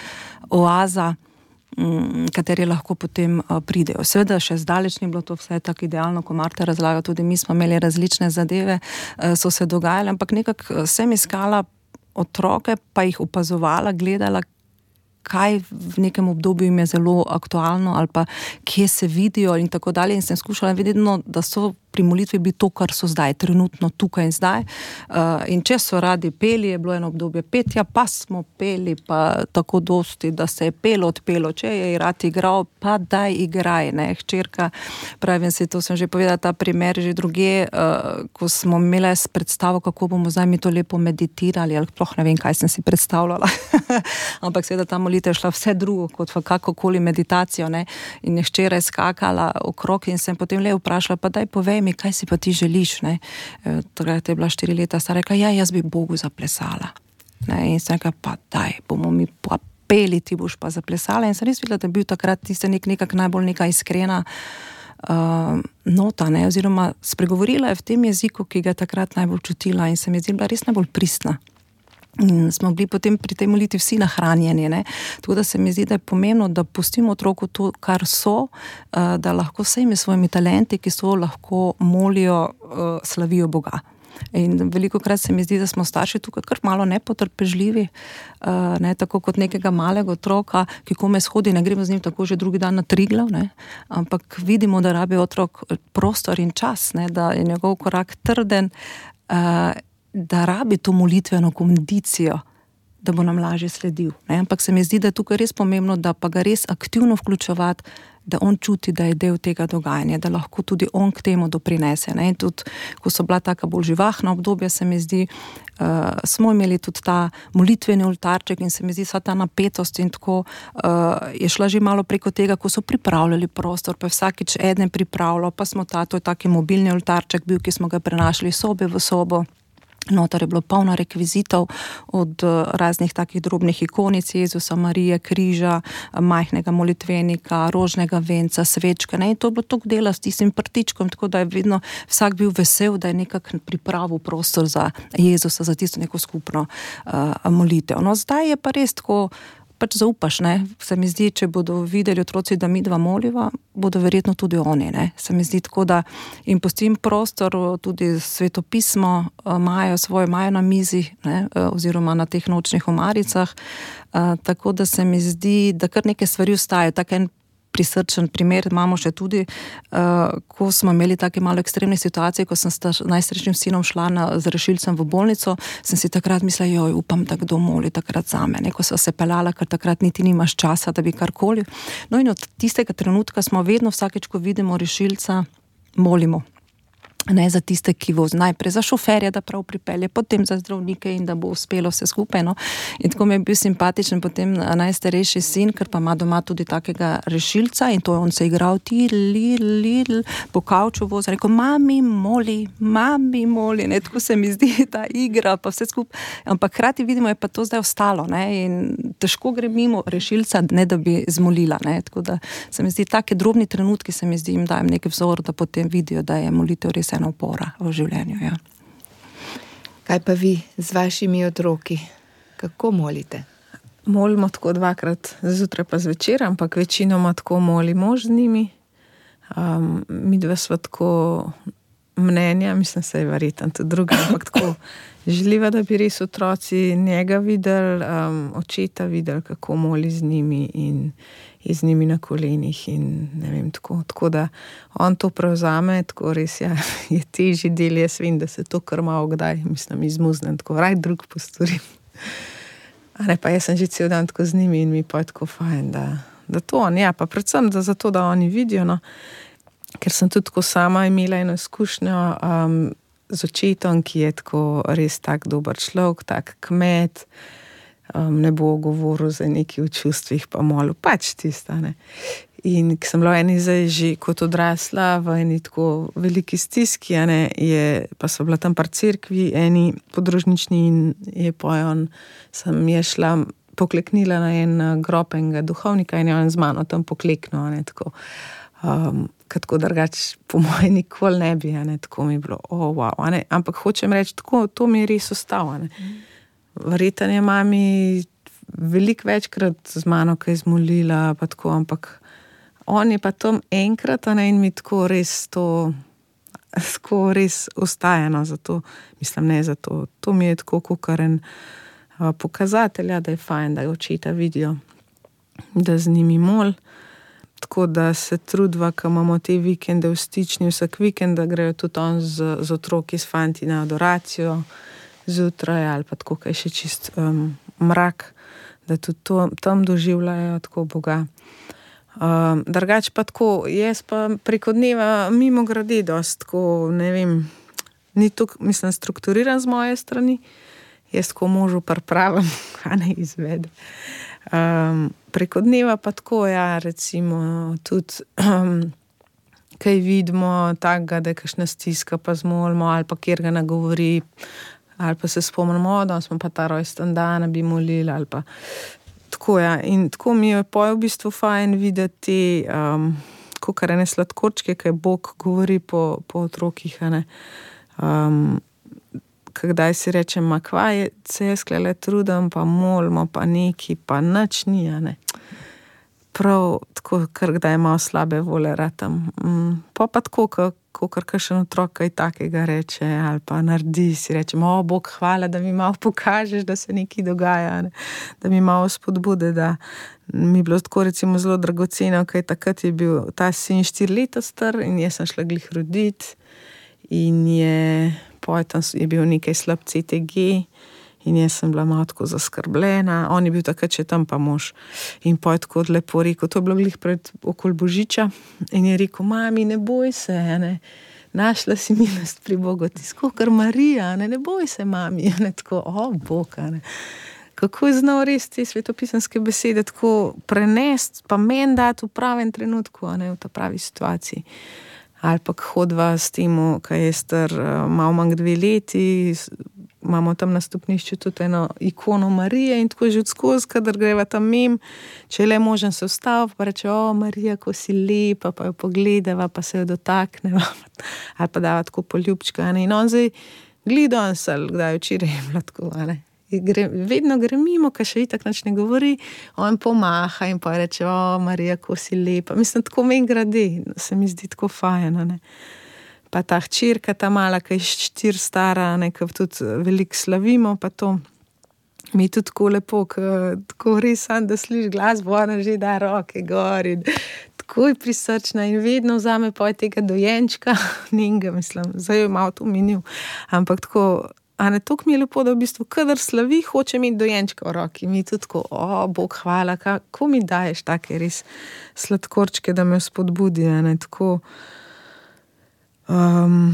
oaza, kateri lahko potem pridejo. Seveda še zdaleč ni bilo to vse tako idealno, ko Marta razlaga, tudi mi smo imeli različne zadeve, so se dogajale, ampak nekako sem iskala otroke, pa jih opazovala, gledala, kaj v nekem obdobju jim je zelo aktualno ali pa kje se vidijo in tako dalje, in sem skušala videti, no, da so pri molitvi bi to, kar so zdaj, trenutno tukaj in zdaj. Uh, in če so radi peli, je bilo eno obdobje petja, pa smo peli, pa tako dosti, da se je pelo, odpelo. Če je rad igral, pa daj igraj, ne, hčerka. Pravim si, to sem že povedala, ta primer že druge, uh, ko smo imeli predstavo, kako bomo zdaj mi to lepo meditirali, ali sploh ne vem, kaj sem si predstavljala. Ampak seveda ta molitev je šla vse drugo, kot v kakokoli meditacijo, ne. In je hčera skakala okrog in sem potem le vprašala, pa daj povej mi, kaj si pa ti želiš, ne. Takrat je bila štiri leta stara, rekla, ja, jaz bi Bogu zaplesala. Ne? In sem rekla, pa daj, bomo mi pa peli, ti boš pa zaplesala. In sem res videla, da je bil takrat tista nek, nekak najbolj neka iskrena uh, nota, ne, oziroma spregovorila je v tem jeziku, ki ga je takrat najbolj čutila in se mi je zdela res najbolj pristna. In smo bili potem pri tej molitvi vsi nahranjeni, ne. Tako da se mi zdi, da je pomembno, da pustimo otroku to, kar so, da lahko vsemi svojimi talenti, ki so, lahko molijo, slavijo Boga. In velikokrat se mi zdi, da smo starši tukaj kar malo nepotrpežljivi, ne, tako kot nekega malega otroka, ki kome shodi, ne gremo z njim tako že drugi dan na Triglav, ne, ampak vidimo, da rabi otrok prostor in čas, ne, da je njegov korak trden, da rabi to molitveno kondicijo, da bo nam lažje sledil. Ne? Ampak se mi zdi, da je tukaj res pomembno, da pa ga res aktivno vključevati, da on čuti, da je del tega dogajanja, da lahko tudi on k temu doprinese. Ne? In tudi, ko so bila taka bolj živahna obdobja, se mi zdi, uh, smo imeli tudi ta molitveni oltarček in se mi zdi, sva ta napetost in tako uh, je šla že malo preko tega, ko so pripravljali prostor, pa vsakič eden pripravljal, pa smo ta, to je taki mobilni oltarček bil, ki smo ga prenašali sobe v sobo. Notar je bilo polno rekvizitov od raznih takih drobnih ikonic Jezusa, Marije, križa, majhnega molitvenika, rožnega venca, svečke, ne, in to je bilo toliko dela s tistim prtičkom, tako da je vedno vsak bil vesel, da je nekako pripravil prostor za Jezusa, za tisto neko skupno uh, molitev. No, zdaj je pa res tako, pač zaupaš, ne, se mi zdi, če bodo videli otroci, da mi dva moliva, bodo verjetno tudi oni, ne, se mi zdi tako, da jim pustim prostor, tudi svetopismo imajo svoje, imajo na mizi, ne, oziroma na teh nočnih omaricah, uh, tako da se mi zdi, da kar neke stvari ostajajo, tak en prisrčen primer imamo še tudi, uh, ko smo imeli take malo ekstremne situacije, ko sem s najstarejšim sinom šla na, z rešilcem v bolnico, sem si takrat mislila, joj, upam, da kdo moli takrat zame, ne, ko so se peljala, ker takrat niti nimaš časa, da bi karkoli. No in od tistega trenutka smo vedno vsakeč, ko vidimo rešilca, molimo. Ne za tiste, ki voz najprej za šoferja, da prav pripelje, potem za zdravnike in da bo uspelo vse skupaj, no. In tako mi je bil simpatičen potem najstarejši sin, ker pa ima doma tudi takega rešilca in to je on se igral, ti li, li, li, po kavču voz, rekel, mami moli, mami moli, ne, tako se mi zdi ta igra, pa vse skupaj, ampak hkrati vidimo, je pa to zdaj ostalo, ne, in težko gre mimo rešilca, ne da bi zmolila, ne, tako da se mi zdi, take drobni trenutki se mi zdi, jim dajem nek vzor, da potem vidijo, da je molitev res ena opora v življenju, ja.
Kaj pa vi z vašimi otroki? Kako molite?
Molimo tako dvakrat zjutraj pa zvečer, ampak večinoma tako moli mož z njimi. Um, mi dva sva tako mnenja, mislim, se je verjetno tudi druga, ampak tako želiva, da bi res otroci njega videli, um, očeta videli, kako moli z njimi in z njimi na kolenih in ne vem, tako, tako da on to prevzame, tako res ja, je težji del, jaz vem, da se to kar malo kdaj, mislim, izmuznem, tako raj drug postorim. A ne, pa jaz sem že cel dan tako z njimi in mi pa je tako fajn, da, da to on, ja, pa predvsem da zato, da oni vidijo, no, ker sem tudi tako sama imela eno izkušnjo um, z očetom, ki je tako res tak dober človek, tak kmet, Um, ne bo govoril za neki v čustvih, pa molil, pač tista, ne. In ki sem bila eni zdaj že kot odrasla v eni tako veliki stiski, ne, je, pa so bila tam par cerkvi, eni podružnični in je pojon, sem je šla, pokleknila na en grob enega duhovnika in je on z mano tam pokleknil, ne, tako. Um, tako drugač po moje nikoli ne bi, ne, tako mi je bilo, oh, wow, ne, ampak hočem reči, tako, to mi je res ostalo, ne. Verjetno je mami veliko večkrat z mano kaj zmolila, pa tako, ampak on je pa tam enkrat, a ne, in mi tako res to, tako res ostajeno, zato, mislim, ne zato, to mi je tako kukaren uh, pokazatelja, da je fajn, da očeta vidijo, da z njimi mol, tako da se trudva, ko imamo te vikende v stični, vsak vikend, da grejo tudi on z, z otroki, s fanti na adoracijo zjutraj, ali pa tako, kaj še čist um, mrak, da tudi to, tam doživljajo tako Boga. Um, drugač pa tako, jaz pa preko dneva mimo gradi dost, tako, ne vem, ni tukaj, mislim, strukturiran z moje strani, jaz tako možu pripravim, a ne izvede. Um, preko dneva pa tako, ja, recimo, tudi um, kaj vidimo takega, da je kakšna stiska, pa zmolimo, ali pa kjer ga nagovori, ali pa se spomnimo, da smo pa ta rojsten dan bi molili, ali pa tako, ja. In tako mi je pa v bistvu fajn videti, um, kakor ene sladkorčke, kaj Bog govori po, po otrokih, a ne. Um, kdaj si rečem, ma kva je, se jaz klele trudem, pa molimo, pa neki, pa nič ni, a ne. Prav tako, kar kdaj malo slabe vole ratam. Mm, pa pa tako, kakor kakšen otrok kaj takega reče, ali pa naredi, si rečem, o, Bog, hvala, da mi malo pokažeš, da se nekaj dogaja, ne? Da mi malo spodbude, da mi je bilo tako recimo zelo dragoceno, kaj takrat je bil ta sin štiri leta star in jaz sem šla glih roditi in je potem je bil nekaj slab C T G in jaz sem bila malo tako zaskrbljena, on je bil takrat še tam pa mož in potem tako lepo rekel, to je bilo glih pred okoli Božiča in je rekel, mami, ne boj se, ne, našla si milost pri Bogu, ti skokar Marija, ne, ne boj se, mami, ne, tako, o, Bog, ne. Kako je znal res te svetopisanske besede tako prenesti, pa meni dati v pravem trenutku, a ne, v ta pravi situaciji. Ali pa hodva s temu, kaj je star malo manj dve leti, imamo tam na stopnišču tudi eno ikono Marije in tako že od skozi, kadar greva tam mim, če je le možen se vstav, pa reče, o, Marija, ko si lepa, pa jo pogledava, pa se jo dotakneva, ali pa dava tako poljubčka, ne, in on zdaj glido on sel, kdaj včeraj je bila tako, ne. Gre, vedno gre mimo, kaj še itak nič ne govori, on pomaha in pa reče, o, Marija, ko si lepa. Mislim, tako meni gradi, se mi zdi tako fajn, ne. Pa ta hčerka, ta mala, ki je štir stara, nekaj tudi veliko slavimo, pa to mi je tudi tako lepo, tako res sam, da sliš glasbo, ona že da roke gor in tako je prisrčna in vedno vzame pa tega dojenčka, njega, mislim, zdaj je malo to minil, ampak tako, a ne, toliko mi je lepo, da v bistvu, kadar slavi, hoče imeti dojenčka v roki. Mi tudi tako, o, Bog, hvala, kako mi daješ take res sladkorčke, da me spodbudi, a ne, tako. Um,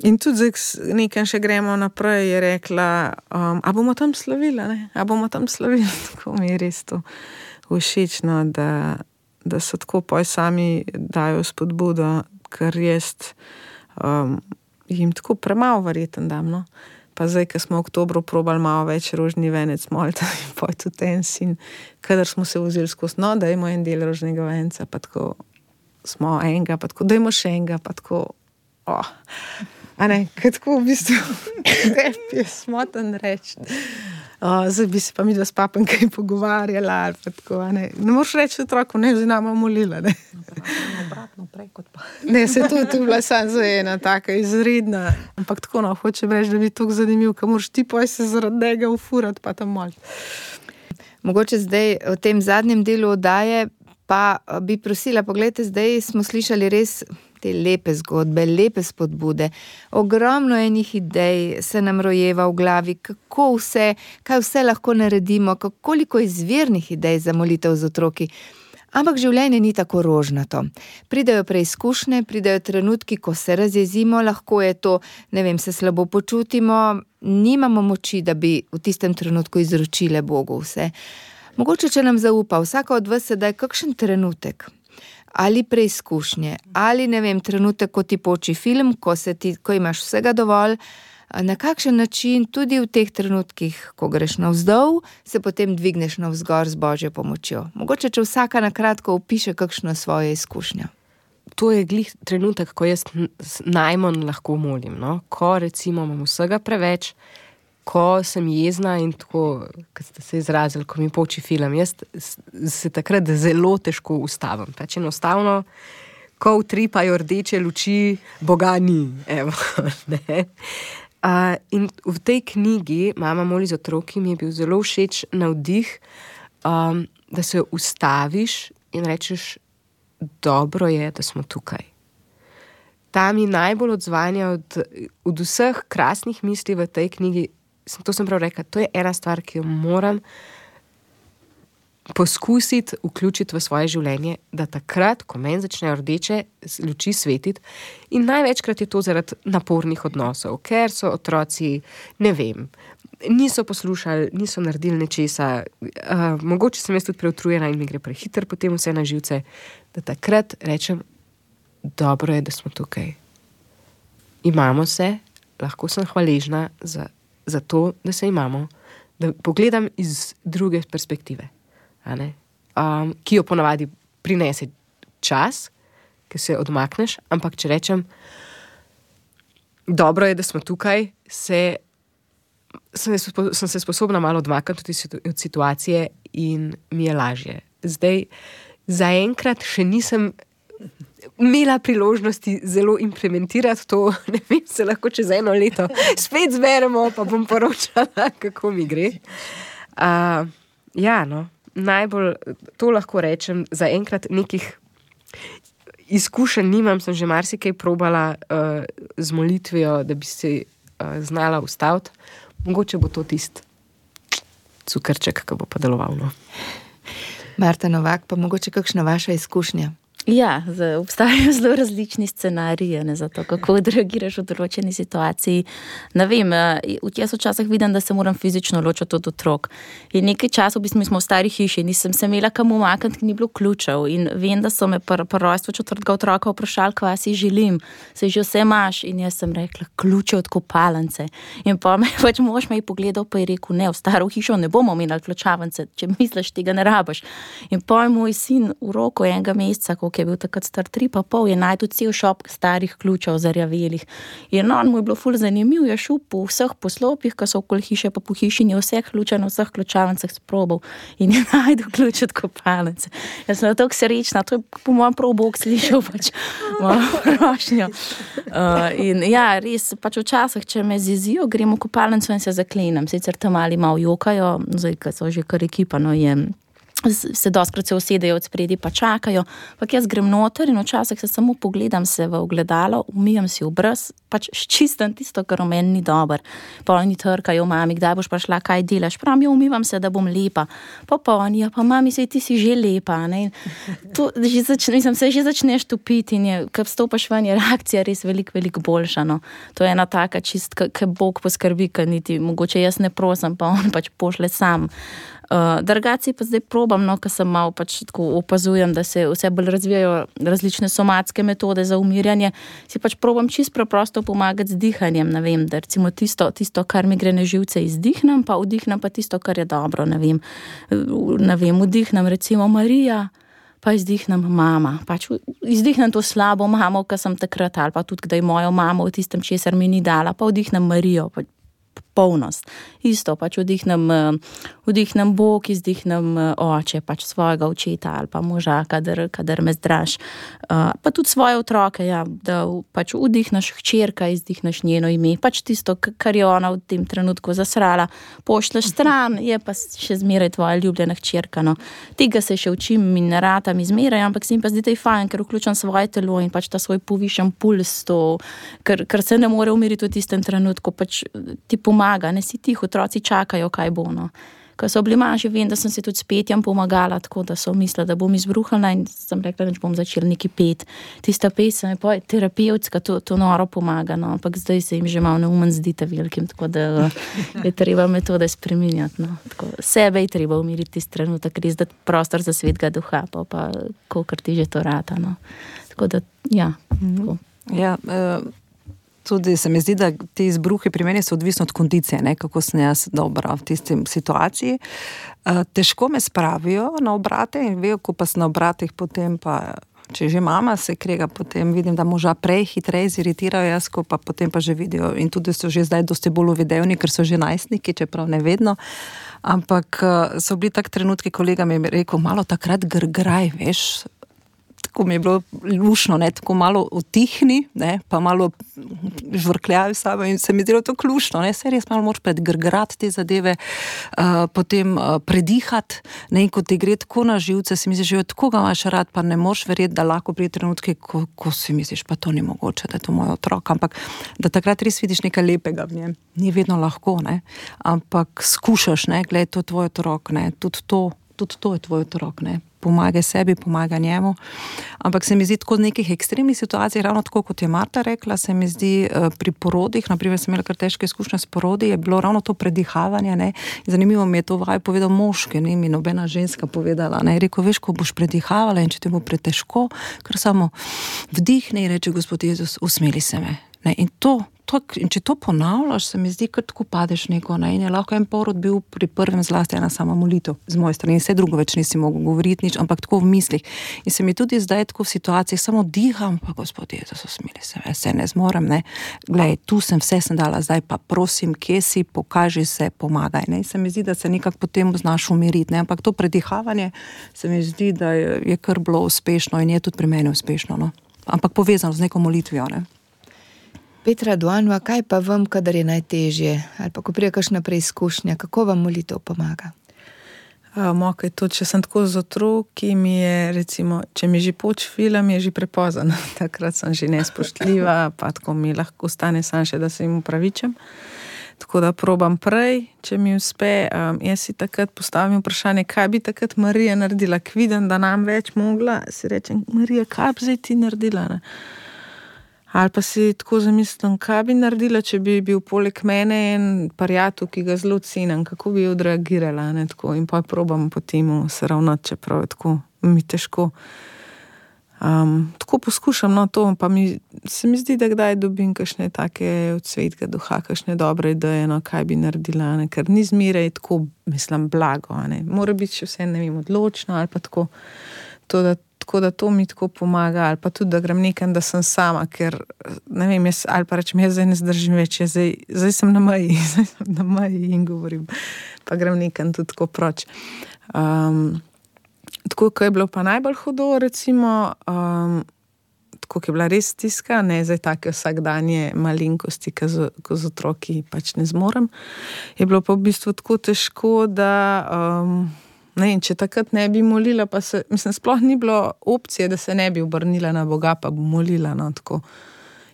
in tudi zdaj nekaj še gremo naprej, je rekla, um, a bomo tam slavili, ne, a bomo tam slavili, tako mi je res to všečno, da, da so tako poj sami dajo spodbudo, ker jaz um, jim tako premalo verjeten dam, no. Pa zdaj, ko smo v oktobru probali malo več rožni venec molta in pa tudi en sin, kadar smo se vzeli skozi, no, dajmo en del rožnega venca, pa tako smo enega, pa tako dajmo še enega, pa tako, o, a ne, kaj tako v bistvu tebi je smoten reči. O, zdaj bi se pa mi dva s papem kaj pogovarjala, ali pa tako, a ne. Ne moraš reči otroku, ne, zdaj nama molila, ne.
Obratno prej kot pa.
Ne, se tudi tu bila sam za ena taka izredna, ampak tako, no, hočem reči, da bi tako zanimiv, ka moraš ti poj se zaradi njega ufurati, pa tam moliti.
Mogoče zdaj v tem zadnjem delu oddaje pa bi prosila, pogledajte, zdaj smo slišali res te lepe zgodbe, lepe spodbude, ogromno enih idej se nam rojeva v glavi, kako vse, kaj vse lahko naredimo, koliko izvirnih idej za molitev z otroki. Ampak življenje ni tako rožnato. Pridejo preizkušnje, pridejo trenutki, ko se razjezimo, lahko je to, ne vem, se slabo počutimo, nimamo moči, da bi v tistem trenutku izročile Bogu vse. Mogoče, če nam zaupa, vsaka od vas sedaj kakšen trenutek, ali preizkušnje, ali ne vem, trenutek, ko ti poči film, ko, se ti, ko imaš vsega dovolj, na kakšen način tudi v teh trenutkih, ko greš navzdol, se potem dvigneš navzgor z Božjo pomočjo. Mogoče, če vsaka na kratko opiše kakšno svojo izkušnjo.
To je glih trenutek, ko jaz najmanj lahko molim, no? Ko recimo imam vsega preveč ko sem jezna in tako, kot ste se izrazili, ko mi poči film, jaz se takrat zelo težko ustavim. Pač enostavno, ko utripajo rdeče luči, Boga ni. Evo, ne. Uh, in v tej knjigi Mama moli za otroki mi je bil zelo všeč navdih, um, da se ustaviš in rečeš, dobro je, da smo tukaj. Ta mi najbolj odzvanja od, od vseh krasnih misli v tej knjigi. To sem prav rekla, to je ena stvar, ki jo moram poskusiti vključiti v svoje življenje, da takrat, ko meni začnejo rdeče luči svetiti, in največkrat je to zaradi napornih odnosov, ker so otroci, ne vem, niso poslušali, niso naredili nečesa, uh, mogoče sem jaz tudi preutrujena in mi gre prehiter potem vse na živce, da takrat rečem, dobro je, da smo tukaj. Imamo se, lahko sem hvaležna za, za to, da se imamo, da pogledam iz druge perspektive. Um, ki jo ponavadi prinese čas, ki se odmakneš, ampak če rečem, dobro je, da smo tukaj, se, sem, sem se sposobna malo odmakniti od situacije in mi je lažje. Zdaj, zaenkrat še nisem imela priložnosti zelo implementirati to, ne vem, se lahko čez eno leto spet zberemo, pa bom poročala, kako mi gre. Uh, ja, no. Najbolj, to lahko rečem, zaenkrat nekih izkušenj nimam, sem že marsikaj probala uh, z molitvijo, da bi se uh, znala ustaviti. Mogoče bo to tist cukrček, ki bo pa deloval. No.
Marta Novak, pa mogoče kakšna vaša izkušnja?
Ja, obstajajo zelo različni scenariji, ne, za to, kako odreagiraš v določeni situaciji. Ne vem, jaz včasih vidim, da se moram fizično ločiti od otrok. In nekaj časov, v bistvu, mi smo v stari hiši, nisem se imela kam umakniti, ni bilo ključev. In vem, da so me pri rojstvu četrtega otroka vprašali, kva si želim, se že vse imaš. In jaz sem rekla, ključe od kopalnice. In pa me pač mož me je pogledal, pa je rekel, ne, v staro hišo ne bomo imeli ključavnice, če misliš, tega ne rabiš. In pa je moj sin v roku enega meseca, ki je bil takrat star tri pa pol, je najdu cel šop starih ključev zarjavelih. In on mu je bilo ful zanimiv, je šel po vseh poslopjih, ki so okoli hiše, pa po hišini vseh ključev na vseh ključavnicah sprobal in je najdu ključ od kopalnice. Jaz sem tako srečna, to je po mojem prav Bog slišal pač mojo prošnjo. Uh, in ja, res, pač včasih, če me zezijo, grem v kopalnico in se zaklenem. Sicer tam mali malo jokajo, zdaj, ko so že kar ekipa, no je se doskrat se usedejo od spredi pa čakajo, pa jaz grem noter in včasih se samo pogledam se v ogledalo, umijem si obraz, pač ščistam tisto, kar v meni ni dober. Pa oni trkajo, mami, kdaj boš prišla, kaj delaš? Pravim, jo umivam se, da bom lepa. Pa pa oni, ja, pa mami, sej ti si že lepa, ne? To, že začne, mislim, se že začneš topiti in je, ko vstopaš ven, je reakcija res veliko, veliko boljša, no. To je ena taka čist, ki Bog poskrbi, ki niti, mogoče jaz ne prosim, pa on pač pošle sam. Uh, Drugače pa zdaj probam, no, ko sem malo pač tako opazujem, da se vse bolj razvijajo različne somatske metode za umirjanje, si pač probam čisto preprosto pomagati z dihanjem, ne vem, da recimo tisto, tisto, kar mi gre na živce, izdihnem, pa vdihnem pa tisto, kar je dobro, ne vem, ne vem, vdihnem recimo Marija, pa izdihnem mama, pač izdihnem to slabo mamo, ki sem takrat, ali pa tudi kdaj mojo mamo v tistem, česar mi ni dala, pa vdihnem Marijo, pa polnost. Isto, pač vdihnem, vdihnem Bog, izdihnem oče, pač svojega očeta ali pa moža, kadar, kadar me zdraž. Uh, pa tudi svoje otroke, ja, da pač vdihneš hčerka, izdihneš njeno ime, pač tisto, kar je ona v tem trenutku zasrala, pošleš stran, je pa še zmeraj tvoja ljubljena hčerka, no. Tega se še učim in ne ratam izmeraj, ampak se mi pa zdi, da je fajn, ker vključam svoje telo in pač ta svoj povišen puls, to, ker, ker se ne more umiriti v tistem trenutku, pač ti pomaga, ne si tih, otroci čakajo, kaj bo, no. Ko so bili manjši, vem, da sem se tudi s petjem pomagala, tako da so mislila, da bom izbruhala in sem rekla, da bom začela neki pet. Tista pesem je pa terapevtska, to, to noro pomaga, no, ampak zdaj se jim že malo neumen zdi ta velikim, tako da je treba metode spreminjati, no. Tako, sebe je treba umiriti tisti trenutek, res dati prostor za svetega duha, pa pa kolikor ti že to rata, no. Tako da, ja. Tako.
Ja, uh... Tudi se mi zdi, da ti izbruhi pri meni so odvisni od kondicije, ne, kako sem jaz dobra v tistem situaciji. Uh, težko me spravijo na obrate in vejo, ko pa sem na obratih, potem pa če že mama se krega, potem vidim, da moža prej hitreje ziritirajo jaz, ko pa potem pa že vidijo in tudi so že zdaj dosti bolj uvidevni, ker so že najstniki, čeprav ne vedno. Ampak so bili tak trenutki, kolega mi je rekel, malo takrat grgraj, veš, tako mi je bilo lušno, ne, tako malo utihni, ne, pa malo žvrkljavi sabo in se mi zdelo to lušno, ne, se res malo moraš predgrgrati te zadeve, uh, potem uh, predihati, ne, in ko ti gre tako na živce, si misliš, že od koga imaš rad, pa ne moraš verjeti, da lahko prije trenutke, ko, ko si misliš, pa to ni mogoče, da je to moj otrok, ampak da takrat res vidiš nekaj lepega v njem, ni vedno lahko, ne, ampak skušaš, ne, gled, to je tvoj otrok, ne, tudi to, tudi to je tvoj otrok, ne, pomagaj sebi, pomagaj njemu. Ampak se mi zdi tako v nekih ekstremnih situacijah, ravno tako, kot je Marta rekla, se mi zdi pri porodih, naprimer sem imela kar težke izkušnje s porodi, je bilo ravno to predihavanje, ne. Zanimivo mi je to vaj povedal moški, ne, mi nobena ženska povedala, ne, je rekel, veš, ko boš predihavala in če ti bo pretežko, kar samo vdihne in reče, Gospod Jezus, usmili se me, ne, in to, to, in če to ponavljaš, se mi zdi, kar tako padeš neko, ne, in je lahko en porod bil pri prvem zlasti ena sama molitev z moje strani, in vse drugo več nisi mogel govoriti nič, ampak tako v mislih. In se mi tudi zdaj tako v situaciji, samo diham, pa Gospod Jezus, usmili se me, se ne zmorem, ne, glej, tu sem, vse sem dala, zdaj pa prosim, kje si, pokaži se, pomagaj, ne, in se mi zdi, da se nekako potem znaš umiriti, ne, ampak to predihavanje se mi zdi, da je, je kar bilo uspešno in je tudi pri meni uspešno, no, ampak povezano z neko molitvijo, ne.
Petra Duanova, kaj pa vam, kadar je najtežje, ali pa ko prije kakšna preizkušnja, kako vam molitev pomaga?
Um, ok, to, če sem tako z otroki, mi je, recimo, če mi že poč film, je že prepozan. Takrat sem že nespoštljiva, pa tako mi lahko stane sam še, da se jim upravičem. Tako da probam prej, če mi uspe. Um, jaz si takrat postavim vprašanje, kaj bi takrat Marija naredila, k vidim, da nam več mogla, si rečem, Marija, kaj bi zdaj ti naredila, ne? Ali pa si tako zamislim, kaj bi naredila, če bi bil poleg mene en prijatelj, ki ga zelo cenim, kako bi odreagirala, ne, tako, in pa probam po temu se ravnati, čeprav je tako, mi težko. Um, tako poskušam, no, to, pa mi, se mi zdi, da kdaj dobim kakšne take od svetega duha, kakšne dobre ideje, no, kaj bi naredila, ne, ker ni zmeraj tako, mislim, blago, ne, mora biti še vse, ne vem, odločno, ali pa tako, to, da tako da to mi tako pomaga, ali pa tudi, da grem nekam, da sem sama, ker, ne vem, jaz, ali pa rečem, jaz zdaj ne zdržim več, jaz zdaj, zdaj sem na meji, zdaj sem na meji in govorim, pa grem nekam tudi tako proč. Um, tako, ko je bilo pa najbolj hudo, recimo, um, tako, ko je bila res stiska, ne, zdaj take vsakdanje malenkosti, ko z, ko z otroki pač ne zmorem, je bilo pa v bistvu tako težko, da... Um, Ne, in če takrat ne bi molila, pa se, mislim, sploh ni bilo opcije, da se ne bi obrnila na Boga, pa bi molila, no, tako.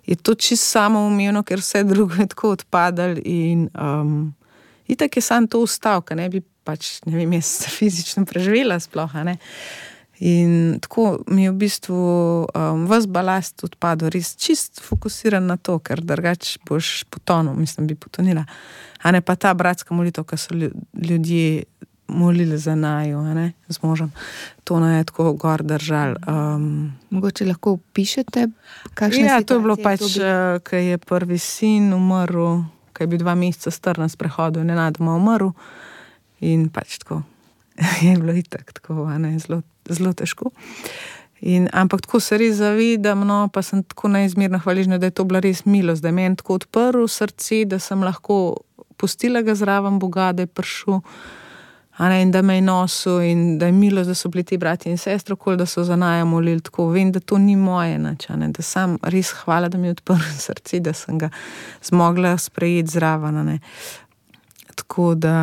Je to čisto samoumevno, ker vse drugo je tako odpadalo in um, itak je sam to ustal, ker ne bi pač, ne vem, jaz fizično preživela sploh, ne. In tako mi je v bistvu um, ves balast odpadel, res čist fokusiran na to, ker drugač boš potonil, mislim, bi potonila. A ne pa ta bratska molitev, ki so ljudje molili za naju, ne, z možem. To ne je tako gor držal. Um,
Mogoče lahko opišete, kakšne
ja,
situacije?
To je bilo pač,
bi...
ko je prvi sin umrl, ko je bil dva meseca star na sprehodu in nenadoma umrl in pač tako je bilo itak tako, ne, zelo, zelo težko. In, ampak tako se res zavedam, no, pa sem tako neizmerno hvaležna, da je to bila res milost, da je meni tako odprl srce, da sem lahko pustila ga zraven Boga, da je prišel, a ne, in da me je nosil in da je milost, da so bili ti brati in sestro, kol, da so za naju molili, tako vem, da to ni moje nič, a ne, da sam res hvala, da mi je odprl srce, da sem ga zmogla sprejeti zraven, a ne. Tako da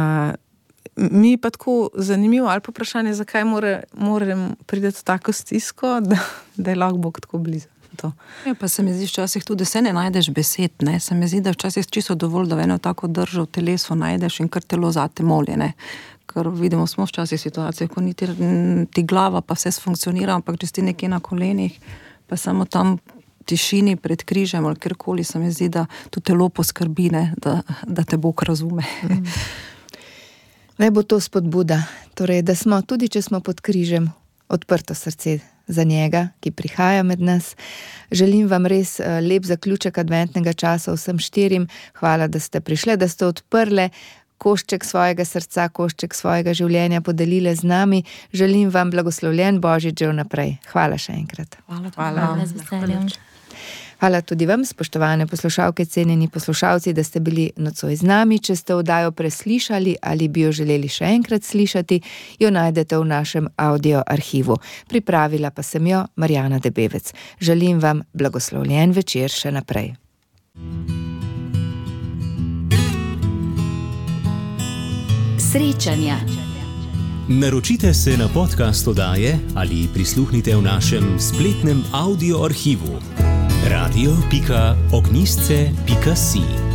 mi je pa tako zanimivo, ali pa vprašanje, zakaj more, moram priti v tako stisko, da, da je lahko Bog tako blizu. To.
Ja, pa se mi zdi včasih tudi, se ne najdeš besed, ne, se mi zdi, da včasih čisto dovolj, da eno tako držo v telesu najdeš in kar telo zate moli, ne. Ker vidimo, smo včasih situacije, ko niti ti glava pa vse funkcionira, ampak če si nekje na kolenih, pa samo tam tišini pred križem ali kjerkoli, se mi zdi, da to telo poskrbi, ne, da, da te Bog razume.
Mm. Naj bo to spodbuda, torej, da smo, tudi če smo pod križem, odprto srce za njega, ki prihaja med nas. Želim vam res lep zaključek adventnega časa vsem štirim. Hvala, da ste prišli, da ste odprli košček svojega srca, košček svojega življenja podelile z nami. Želim vam blagoslovljen Božič že vnaprej. Hvala še enkrat.
Hvala.
Hvala z veseljem.
Hvala tudi vam, spoštovane poslušalke, cenjeni poslušalci, da ste bili nocoj z nami. Če ste oddajo preslišali ali bi jo želeli še enkrat slišati, jo najdete v našem audio arhivu. Pripravila pa sem jo Marjana Debevec. Želim vam blagoslovljen večer še naprej.
Srečanja.
Naročite se na podcast oddaje ali prisluhnite v našem spletnem audio arhivu radio pika ognjisce pika si.